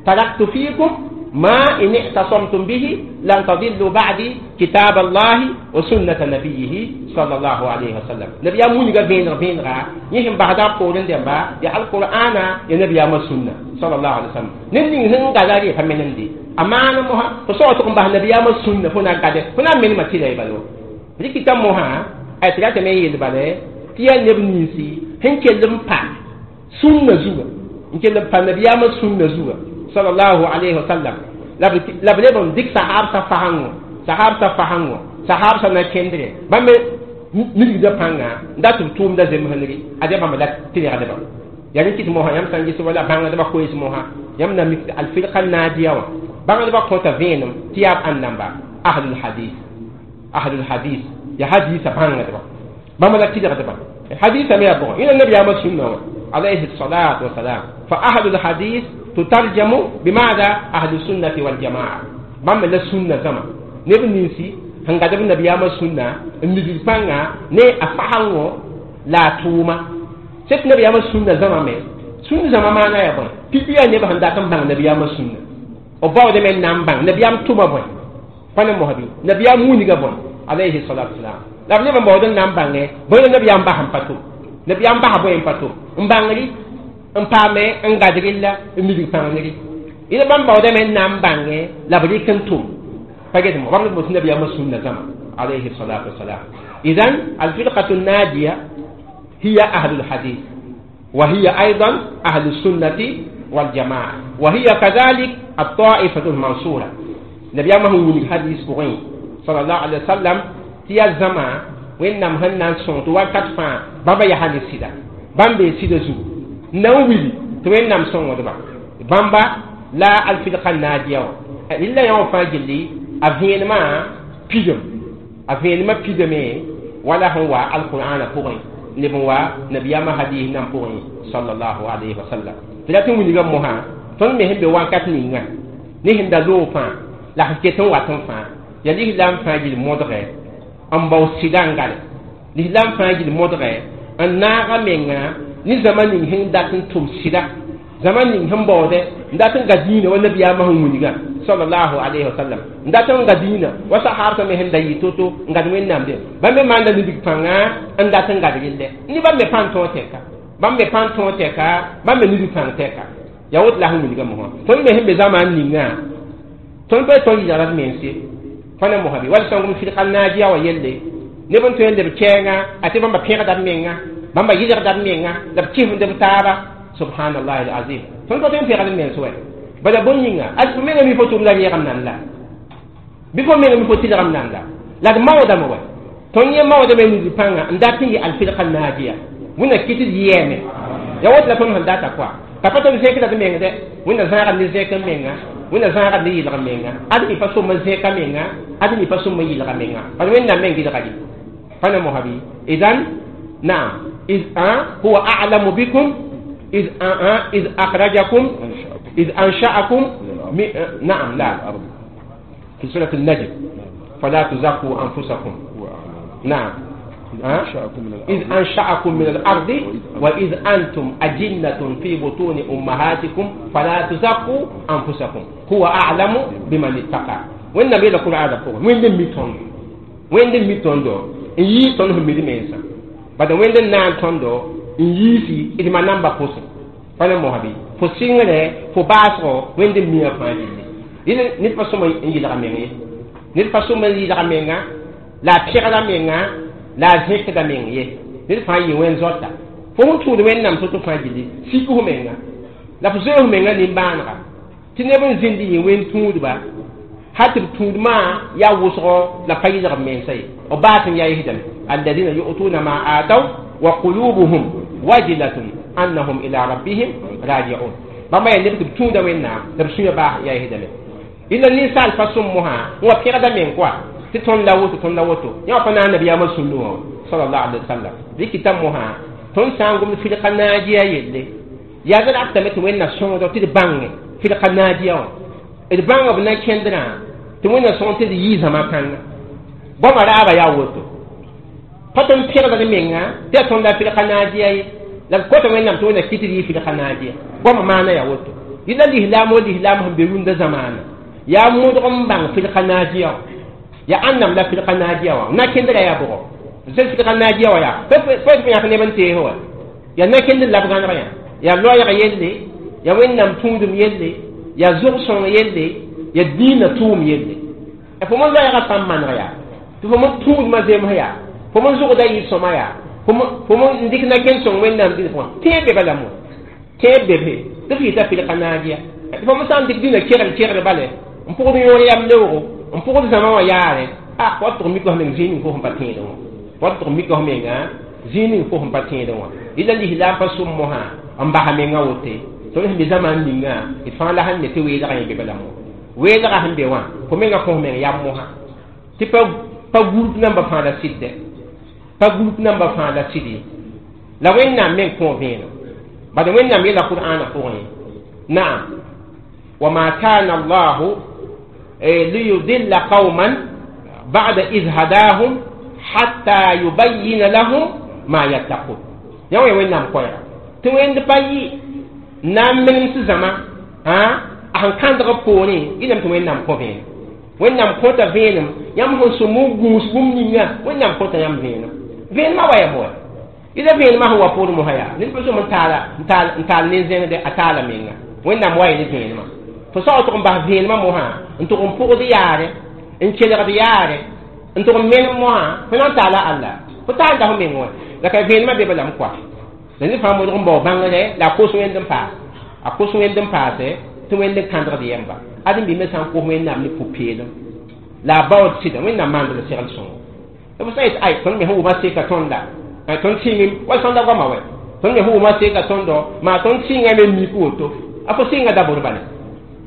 taraktu fiikum ما إن اعتصمتم به لن تضلوا بعدي كتاب الله وسنة نبيه صلى الله عليه وسلم. نبي مونيغا بين بين غا يهم بعد قولن دمبا يا القرآن يا نبي ما سنة صلى الله عليه وسلم. نين هن غاداري فمنندي أمان موها فصوتكم به نبي ما سنة فنا غاد فنا من ما تيلاي بالو ريكيتا موها أترات مي يلبالي تيا نبنيسي هن كلم با سنة زوا هن كلم با نبي ما سنة زوا صلى الله عليه وسلم. La b leb n dɩk sahaabsã fasãngõ sahaabsã fasãngõ sahaabsã na kẽndre bãmb milgda pãnga n dat b tʋʋmda zemsengre ad yaa bãmb la tɩlgdba yaa rẽ kɩt mosã yãmb sã n ges wala bãngdbã koees mosã yãmb na mik alfirqa naadiya wã bãngdbã kõta vẽenem tɩ yaa b ãn namba ahlul hadis ya hadisa bãngdba bãmb la tɩlgdba hadisa me yaa bʋgã yẽna nabiyaamã sũnna wã alayhi salatu wasalam fa ahlul hadis تترجم بماذا؟ أهل السنة والجماعة. بام لا سنة زما نب نيسي هنغادب النبي أما سنة النبي بانغا ني أفهمو لا توما سيت نبي أما سنة زما مي سنة زما ما أنا يبون تبيا نب هنداتم بان نبي أما سنة أباو دم نام بان نبي أم توما بون فانا مهبي نبي أم مونيغا بون عليه الصلاة والسلام لا نب بودن نام بان بون نبي أم بهم باتو نبي أم بها بون باتو مبانغري n paame n gad rella n midg pãngre ila bãmb baoodame n na n bãngẽ la b rɩk n tʋm pa get mo bãmb b nabiyaamã sũnna zãma alayhi salatu wasalam idan alfirqatu nadiya hiya ahlu lhadith wa hiya aidan ahlu sunnati waljamaa wa hiya kadhalik altaifatu lmansura nabiyaamã sẽn wilg hadis pʋgẽ salallahu alaihi wasallam tɩ yaa zãma wẽnnaam sẽn na n sõng tɩ wakat fãa bãmba yaa ne sɩda bãmb bee sɩda zugu nan wili tɩ wẽnnaam sõngdba bãmba la alfirqa naadiya wã rɩla yã wã fãa gilli a vẽenemã pidem a vẽenemã pidame wala sẽn wa alqur'ana pʋgẽ leb n wa nabiyaamã hadis nan pʋgẽ sallallahu alayhi wa sallam tɩ la tɩ wilgã mosã tõnd me sẽn be wakat ninga ne sẽn da loog fãa la sẽn ket n wat n fãa yaa lislaam fãa gill modgɛ n bao sɩda n gale lislaam fãa gill modgɛ n naaga menga ni zama ning sẽn dat n tʋm sɩda zama ning sẽn baoodɛ n dat n ga dĩinã wa nabiyaamã sẽn wilgã sallallahu alayhi wa sallam n dat n ga dĩinã wa sahaabsã me sẽn da yɩ to-to n gad wẽnnaam dẽ bãmb me maanda nidg pãnga n dat n gad relle ne bãmb me pãn tõog tɛka bãmb me pãn tõog tɛka bãmb me nidg pãng tɛka yaa woto la sẽn wilgã mosã tõnd me sẽn be zãma n ninga tõnd pa tõnd yɩlgd d mense fãna mosã bɩ wall sõngem firqa naajiya wã yelle neb n tõe n leb kɛɛngã a tɩ bãmba pẽgda d menga Bãmba yɩlgda b menga la b kɩsmd b taaba. Subhanallahi alazim. Tõnd pa tõe n pẽgd b mens wɛ. Bala bõn yĩnga ad fo menga mi fo tʋm la reegem nan la. Bɩ fo menga mi fo tɩlgem nan la. La d maoodame wɛ. Tõnd yẽ maoodame nidi pãnga n dat n yɩ alfirqa naajiya. Wẽnna kɩt d yɛɛme. Ya woto la tõnd sẽn data koa. Ka pa tõnd zẽkda d meng dɛ. Wẽnna zãagd ne zẽk n menga. Wẽnna zãagd ne yɩlg menga. Ad mi pa sõm n zẽka menga. Ad mi pa sõm n yɩlga menga. Bala Wẽnnaam meng gɩlga ye. Pa na mosabi. Idan naam. إذ هو أعلم بكم إذ إذ أخرجكم إذ أنشأكم نعم لا في سورة النجم فلا تزكوا أنفسكم. نعم إذ أنشأكم من الأرض وإذ أنتم أجنة في بطون أمهاتكم فلا تزكوا أنفسكم هو أعلم بمن اتقى. وين نبي لكم هذا فوق وين دم وين دم ميتون يي تون هم ميدي bada wẽnd n na n tõndo n yiisi d ma namba pʋsẽ pa ne mosabi fo sɩngre fo baasgo wẽnd n miã fãa gilli ned pa sõma n yɩlga meng ye ned pa sõma n yɩlga menga la a pẽgda menga la a zẽkda meng ye ned fãa yɩ wẽn zoata fo sẽn tũud wẽnnaam to-to fãa gilli sik f menga la fo zoe f menga nimbãanega tɩ neb n zĩnd yẽ wẽn tũudba hal tɩ b tũudmã yaa wʋsgo la pa yɩlg b mensa ye b baas n yaa yisdame الذين يؤتون ما آتوا وقلوبهم وجلة أنهم إلى ربهم راجعون. بما يلبت بتون دوينا لبسوية باه يا هدمه إلا النساء فسمها هو في غدا من قوة تتون لوتو تون لوتو يا فنا النبي أمر صلى الله عليه وسلم ذي كتمها تون سانغم في القناجية يلي يا ذا أكتمت وين الصون دو تدبang في القناجية البang بنا كندنا تموين الصون تدي يزما كان بما رأى يا وتو pa tõnd pẽgdg menga tɩ yaa tõnd la fɩlga naajiya ye la b kota Wẽnnaam tɩ Wẽnna kɩt d yɩ fɩlga naajiya goamã maana yaa woto yɩla lislaam wo lislaam sẽn be rũndã zamaana yaa modg n bãng fɩlga naajiya wã yaa ãnnam la fɩlga naajiya wã na-kẽndrã yaa bʋgɔ sẽn fɩlga naajiya wã yaa pa yãk neb n tees wa yaa na-kẽndr la b gãneg yã yaa loɛɛg yelle yaa Wẽnnaam tũudum yelle yaa zʋg-sõng yelle yaa diinã tʋʋm yelle fo mon loɛɛgã sã n maneg yaa tɩ fo mon tũudmã zems yaa fo mon zʋgda yɩ sõma yaa fo mon dɩk na-kẽnd sõng Wẽnnaam dĩnã pʋgã tẽeb be bala mo tẽeb be be tɩ f yɩta fɩlga naajiya fo mon sã n dɩk dĩnã kegl kegl bale n pʋgd yõor yam leoogo n pʋgd zãma wã yaare a wa tʋg mika f meng zĩig ning fo sẽn pa tẽedẽ wã wa tʋg mika f menga zĩig ning fo sẽn pa tẽedẽ wã yɩla lislaam pa sʋm mosã n basa menga wote tõnd sẽn be zamaan ninga d fãa la sẽn ne tɩ weelgã yẽ be bala mo weelgã sẽn be wã fo menga kõ f meng yam mosã tɩ pa groupe namba fãa la sɩdɛ pa groupe namba fãa la sɩd ye la Wẽnnaam meng kõ vẽenem bala Wẽnnaam yeela Qur'aanã pʋgẽ naam wama kana Allahu liyudilla qawman ba'da iz hadahum hatta yubayyina lahum ma yattaqun yã wã Wẽnnaam koɛɛga tɩ wẽnd pa yɩ na n menem tɩ zãma a sẽn kãndg b poorẽ yɩlame tɩ Wẽnnaam kõ vẽenem Wẽnnaam kõta vẽenem yãmb sẽn sõm n gũus bũmb ninga Wẽnnaam kõta yãmb vẽenem vẽenemã wa yaa moa yɩla vẽenemã sẽn wa poor mosã yaa ned pa sõm n taal ne zẽngde a taala menga Wẽnnaam wa yẽ ne vẽenemã fo sao tʋg n bas vẽenemã mosã n tʋg n pʋgd yaare n kelgd yaare n tʋg n menem mosã fo na n taala Allah fo taalda fo meng wã la ka vẽenemã be balame koa la ned fãa modg n bao bãngre la a kos wẽnd n paas a kos wẽnd n paase tɩ wẽnd n kãndgd yɛmba ad n bɩ me sã n kos Wẽnnaam ne pʋ-peelem la a baood sɩda Wẽnnaam maand la segl sõngo fo sã yet ay tõnd me sẽn wʋma seka tõnda tõnd sɩngem wa sõnda goama wɛ tõnd me sẽn wʋma seka tõndo maa tõnd sɩnga me mik woto a fo sɩnga dabor bala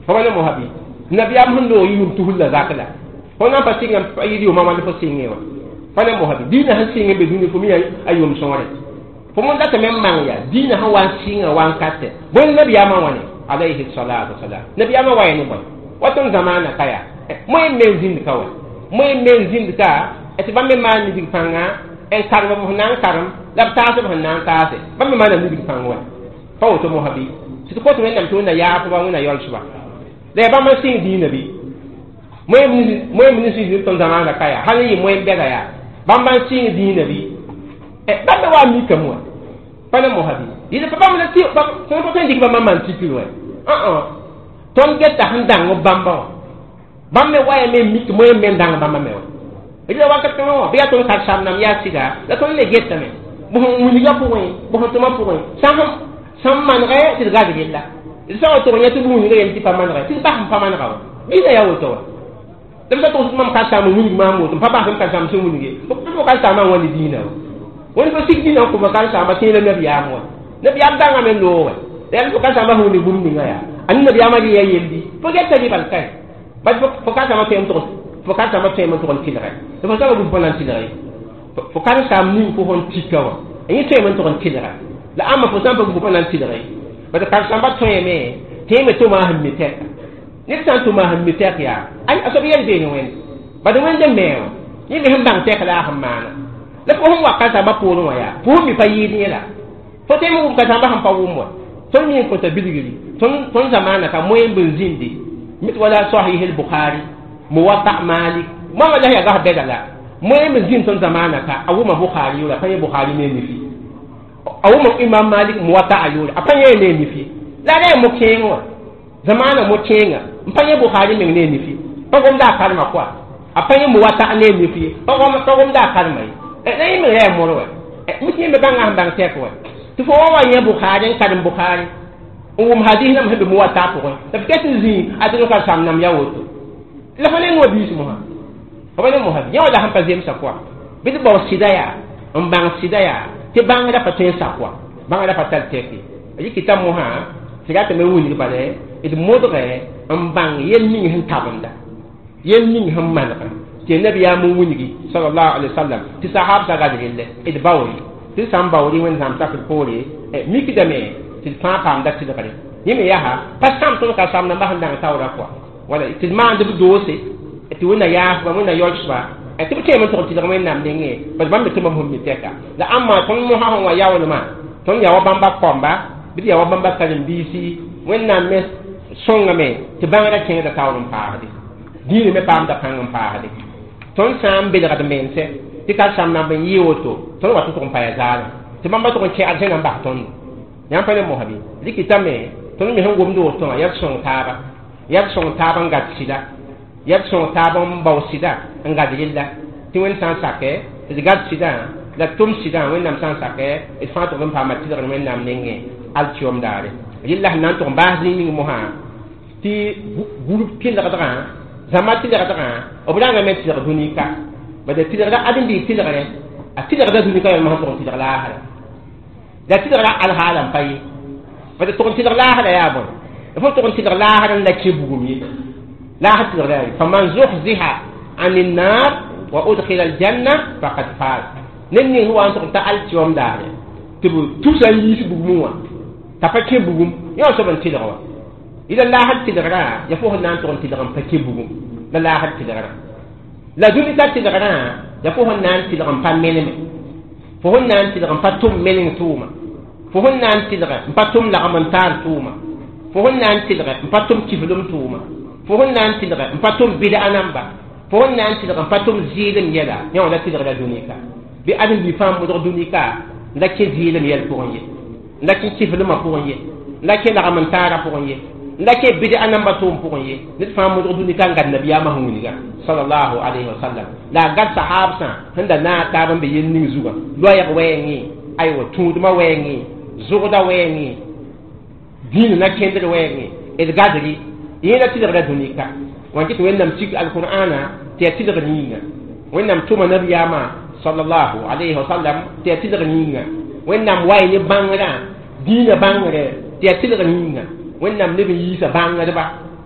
fo wa ne mosa bɩ nabiyaam sẽn loog yʋʋm tusr la zak la fo na n pa sɩnga yɩ yʋʋma wãnd fo sɩngẽ wã pa ne mosa bɩ diinã sẽn sɩng be dũni fo mi a yʋʋm sõore fo mon datame n mang yaa diinã sẽn wa n sɩnga wa n katɛ bõe nabiyaamã wãne alayhi salatu wasalam nabiyaamã wa yẽ ne bõe wa tõnd zamaanã ka yaa moe n me n zĩnd ka wa moe n me n zĩnd ka tɩ bãmb me maan nidg pãnga n karem b sẽn na n karem la b taas b sẽn na n taase bãmb me maana nidg pãng wa pa woto mosa bɩ tɩ tɩ kot Wẽnnaam tɩ Wẽnna yaafba Wẽnna yaolsba la yaa bãmb n sɩng diinã bɩ moe m nin sɩng tõnd zamaanã ka yaa hal n yɩ moe n bɛda yaa bãmb n sɩng diinã bɩ bãmb me wa n mikame wã pa ne mosa bɩ yɩl pa bãmb la tɩ tõnd pa tõe n dɩk bãmb n maan tikr wã tõnd geta sẽn dãng b bãmba wã bãmb me wa ya me n mik moe n me n dãng bãmba me wã yɩla wakat kãngã wã bɩ yaa tõnd karsam nam yaa sɩda la tõnd le getame Wĩnigã pʋgẽ bõs n tʋmã pʋgẽ sãn manegɛ tɩ d gad yella d sã n wa tʋg yã tɩ b wĩnigã yel tɩ pa manegɛ tɩ d bas n pa manega wa dĩinã yaa woto wa la b sã togs mam ka-saam n wilg maam woto n pa bas m ka-saam sẽn wilg ye fo ka-saamã n wa ne dĩinã wa wẽnd fo sig dĩinã n kõ fo ka-saamba tẽeda nabiyaam wa nabiyaam dãngame n loog wɛ la yaa fo ka-saambã sẽn wilg bũmb ninga yaa ãnd nabiyaamã rɩ yaa yeldi fo geta rɩbal kae bad fo ka-saambã tõe n tʋgs fo ka-saambã tõeme n tʋg n tɩlgɛ tɩ fo sã wa pa na n tɩlg ye fo ka-saam ning fo sẽn tika wã yẽ tõeme n tʋg n tɩlga la ãmba fo sã n pa gu pa na n tɩlg ye bad ka-saambã tõeme tẽeme tʋma sẽn mi tɛka ned sã n tʋma sẽn mi tɛk yaa a soab yɛl beene wẽnd bad wẽnd n me wã yẽ me sẽn bãng tɛk la a sẽn maana la fo sẽn wa ka-saambã poorẽ wã yaa fo sẽn mi pa yɩɩd yẽ la fo tõe n wʋm ka-saambã sẽn pa wʋm wa tõnd mi n kõta bilgri tõnd zamaana ka moyen n zĩndi mit wala sahih al-bukhari muwatta malik moãngã la yaa gas bɛda la moyen n zĩnd tõnd zamaana ka a wʋma bukhari yʋʋra a pa yẽ bukhari ne nifi a wʋma imam malik muwatta a yʋʋra a pa yẽ ne nifi la ra yaa mo-kẽeng wã zamaana mo-kẽenga n pa yẽ bukhari meng ne nifi pa gomda a karema koa a pa yẽ muwatta ne nifi pa gomda a karema ye la yẽ meng yaa mor wɛ mit yẽ me bãnga sẽn bãng tɛk wɛ tɩ fo wa wa yẽ bukhari n karem bukhari n wʋm hadis nam sẽn be muwatta pʋgẽ la f ket n zĩ a tɩ ka sam nam yaa woto la fo ne noa biis mosã fo pa ne mosã yẽ wã la sẽn pa zemsa koa bɩ d bao sɩda yaa n bãng sɩda yaa tɩ bãngrã pa tõe n sak wa bãngrã pa tar tɛk ye rɩkɩta mosã tɩ ratame wilg bala d modgɛ n bãng yel ning sẽn tabenda yel ning sẽn manegã tɩ nabiyaam n wilgi sallallahu alaihi wasallam tɩ sahabsã gad relle d baoore tɩ sã n baoore wẽnnaam sakd poore mikdame tɩ d fãa paamda tɩlgre yẽ me yaa pa sãm tõnd ka sam nambã sẽn dãng taoora kɔa wala tɩ d maand b doose tɩ wẽnna yaasba wẽnna yaoolsba tɩ b tõeme n tʋg tɩlg wẽnnaam nengẽ bas bãmb me tɩ bãmb sẽn mi tɛka la ãmba tõnd mosã sẽn wa yaoolmã tõnd yaa wa bãmba kɔmba bɩ d yaa wa bãmba karen-biisi wẽnnaam me sõngame tɩ bãngrã kẽngda taoor n paasde dĩinã me paamda pãng n paasde tõnd sã n belgd mense tɩ ka sam namb n yɩ woto tõnd wa tɩ tʋg n pa ya zaalem tɩ bãmba tʋg n kɛgd sẽn na n bas tõndo yãmb pa ne mosã bɩ rɩkɩtame tõnd me sẽn gomd woto wã yaa d sõng taaba yaa d sõng taab n gad sɩda yaa d sõng taab n bao sɩda n gad rella tɩ wẽnd sã n sakɛ tɩ d gad sɩdã la tʋm sɩdã wẽnnaam sã n sakɛ d fãa tʋg n paama tɩlgr wẽnnaam nengẽ alkiom daare rella sẽn na n tʋg n baas zĩig ning mosã tɩ gũrb tɩlgdgã zãma tɩlgdgã b rãngame n tɩlg dũni-ka bad tɩlgda ãdem-biig tɩlgre a tɩlgda dũni-ka yãmb sẽn tʋg n tɩlg laasra la tɩlgra alhaala n pa ye bad tʋg n tɩlg laasra yaa bõe fo tʋg n tɩlg laasr n la kẽ bugum ye laasr tɩlgra yaa faman zuhziha an النار وأدخل الجنة فقد فاز ned ning sẽn wa n tʋg n ta altiom daare tɩ b tusa n yiis bugmẽ wã t'a pa kẽ bugum yã wã soab n tɩlg wa ila laasr tɩlgrã ya fo sẽn na n tʋg n tɩlg n pa kẽ bugum la laasr tɩlgrã la dũni ta tɩlgrã ya fo sẽn na n tɩlg n pa meneme fo sẽn na n tɩlg n pa tʋm meneng tʋʋma fo sẽn na n tɩlg n pa tʋm lagm n taar tʋʋma fo sẽn na n tɩlg n pa tʋm kiflem tʋʋma fo sẽn na n tɩlg n pa tʋm bɩda namba fo sẽn na n tɩlg n pa tʋm zɩɩlem yɛla yã wã la tɩlgra dũni-ka bɩ ãdem-bi fãa modg dũni-ka la kẽ zɩɩlem yɛl pʋgẽ ye la kẽ kiflemã pʋgẽ ye la kẽ lagm n taarã pʋgẽ ye la kẽ bɩda namba tʋʋm pʋgẽ ye ned fãa modg dũni-ka n gad nabiyaamã sẽn wilga sallallahu alayhi wa sallam la a gad sahabsã sẽn da naag taab n be yel ning zugã loɛɛg wɛɛngẽ aywa tũudmã wɛɛngẽ zʋgda wɛɛngẽ dĩinã na kẽndr wɛɛngẽ d gadri yẽ la tɩlgra dũni-ka wã kɩ tɩ wẽnnaam sik alqur'ana tɩ yaa tɩlgr yĩnga wẽnnaam tʋma nabiyaamã sallallahu alayhi wa sallam tɩ yaa tɩlgr yĩnga wẽnnaam wa ne bãngrã dĩinã bãngre tɩ yaa tɩlgr yĩnga wẽnnaam neb n yiisa bãngdba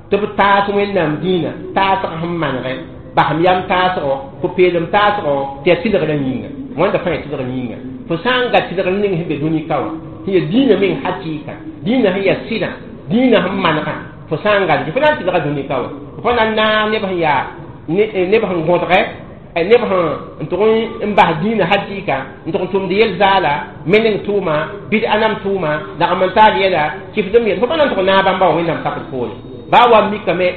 tɩ b taas wẽnnaam dĩinã taasg sẽn manegɛ basem yam taasgo pʋ-peelem taasgo tɩ yaa tɩlgrã yĩnga wãnda fãa yaa tɩlgr yĩnga fo sã n ga tɩlgr ning sẽn be dũni-ka wã sẽn yaa dĩinã meng hakɩɩka dĩinã sẽn yaa sɩdã dĩinã sẽn manegã fo sã n gad fo na n tɩlga dũni-ka wã fo na n naag neb sẽn yaa neb sẽn gõdgɛ neb sẽn tʋg n bas dĩinã hakɩɩka n tʋg n tʋmd yel-zaala meneng tʋʋma bɩd-a nam tʋʋma lagm n taar yɛla kifdem yɛl fo pa na n tʋg naag bãmba wã wẽnnaam sakd poore baa wa mikame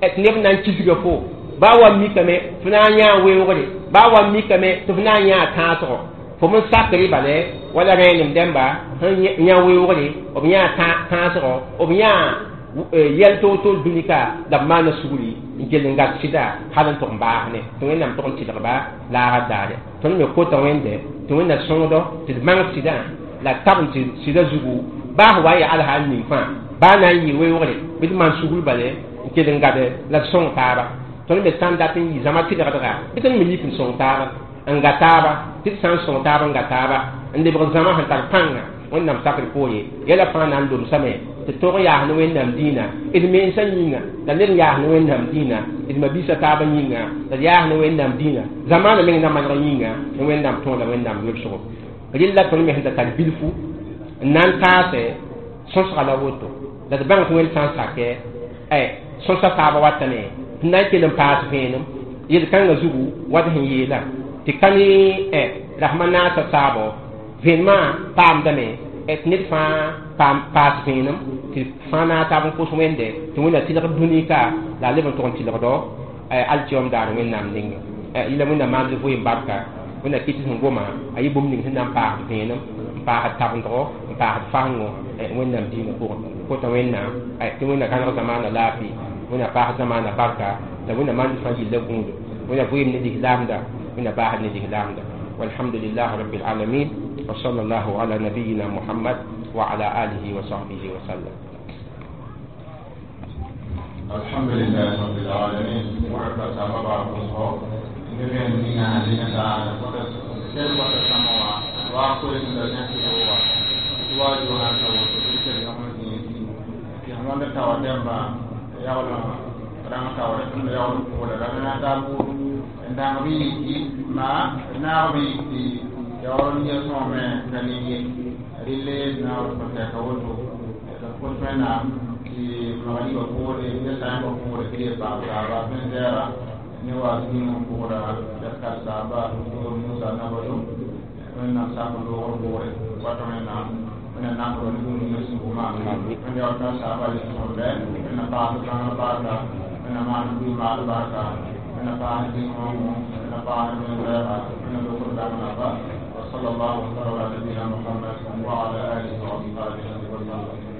tɩ neb na n kisga fo baa wa mikame fo na n yãa weoogre baa wa mikame tɩ fo na n yãa tãasgo fo m sakre bale wala rẽenem dẽmba sẽn yã weoogre b yãa tãasgo b yãa yɛl toor-toor dũni-ka la b maana sugri n kell n gad sɩda hal n tʋg n baas ne tɩ wẽnnaam tʋg n tɩlgba laasr daare tõnd me kota wẽnde tɩ Tɩ wẽnna sõngdo tɩ d bãng sɩdã la tab n tɩ sɩdã zugu baa f wa n yaa alhaal ning fãa baa na n yɩ weoogre bɩ d maan sugr bale n kell n gade la d sõng taaba. Tõnd me sã n dat n yɩ zãma tɩlgdga bɩ tõnd me yik n sõng taaba n ga taaba tɩ d sã n sõng taab n ga taaba n lebg zãma sẽn tar pãnga Wẽnnaam sakr poore yɛla fãa na n lomsame tɩ tog n yaas ne Wẽnnaam dĩinã d mensã yĩnga la ned n yaas ne Wẽnnaam dĩinã d mabiisã taabã yĩnga la d yaas ne Wẽnnaam dĩinã zamaanã meng na maneg yĩnga ne Wẽnnaam tõog la Wẽnnaam yolsgo. Rɩlla tõnd me sẽn da tar bilfu n na n taase sõsga la woto la d bãng tɩ Wẽnd sã n sakɛ sõsa taabã watame tɩ na n kell n paas vẽenem yel-kãngã zugu wat sẽn yeela tɩ ka ne rasmã naasã saabo vẽenemã paamdame tɩ ned fãa paam paas vẽenem tɩ fãa naag taab n kos Wẽnde tɩ Wẽnna tɩlg dũni ka la a leb n tʋg n tɩlgdo alkiyom daar Wẽnnaam ninge yɩla Wẽnna maand vɩɩm barka. Wẽnna kɩt sẽn goma a yɩ bũmb ning sẽn na n paasd vẽenem n paasd tabendgo n paasd fasengo Wẽnnaam dĩinã pʋgẽ kota Wẽnnaam tɩ Wẽnna gãneg zamaana laafɩ Wẽnna paas zamaana barka la Wẽnna maand fãa yilla gũudo Wẽnna vɩɩm ne lislaamda Wẽnna baasd ne lislaamda. والحمد لله رب العالمين وصلى الله على نبينا محمد وعلى آله وصحبه وسلم. الحمد لله رب العالمين ورب سبب ma naag bi tɩ yaool n yɛ sõame ka ne ye rɩle naoor sẽn ka woto d kos Wẽnnaam tɩ magriba poore ne sãyẽmbã poore tɩ ye paam taaba sẽn zɛɛra ne wa zĩig n pʋgda yɛskar saaba doctor Musa Nabado Wẽnnaam sak loogr poore wata Wẽnnaam Wẽnnaam nambrɔ ne bũmb ninga sũur maa Wẽnd yaool ka saaba le sõmdɛ Wẽnnaam paas bãngr barka Wẽnnaam maan bɩ maal barka Wẽnnaam paas dĩng وصلى الله وسلم على نبينا محمد وعلى اله واصحابه وسلم.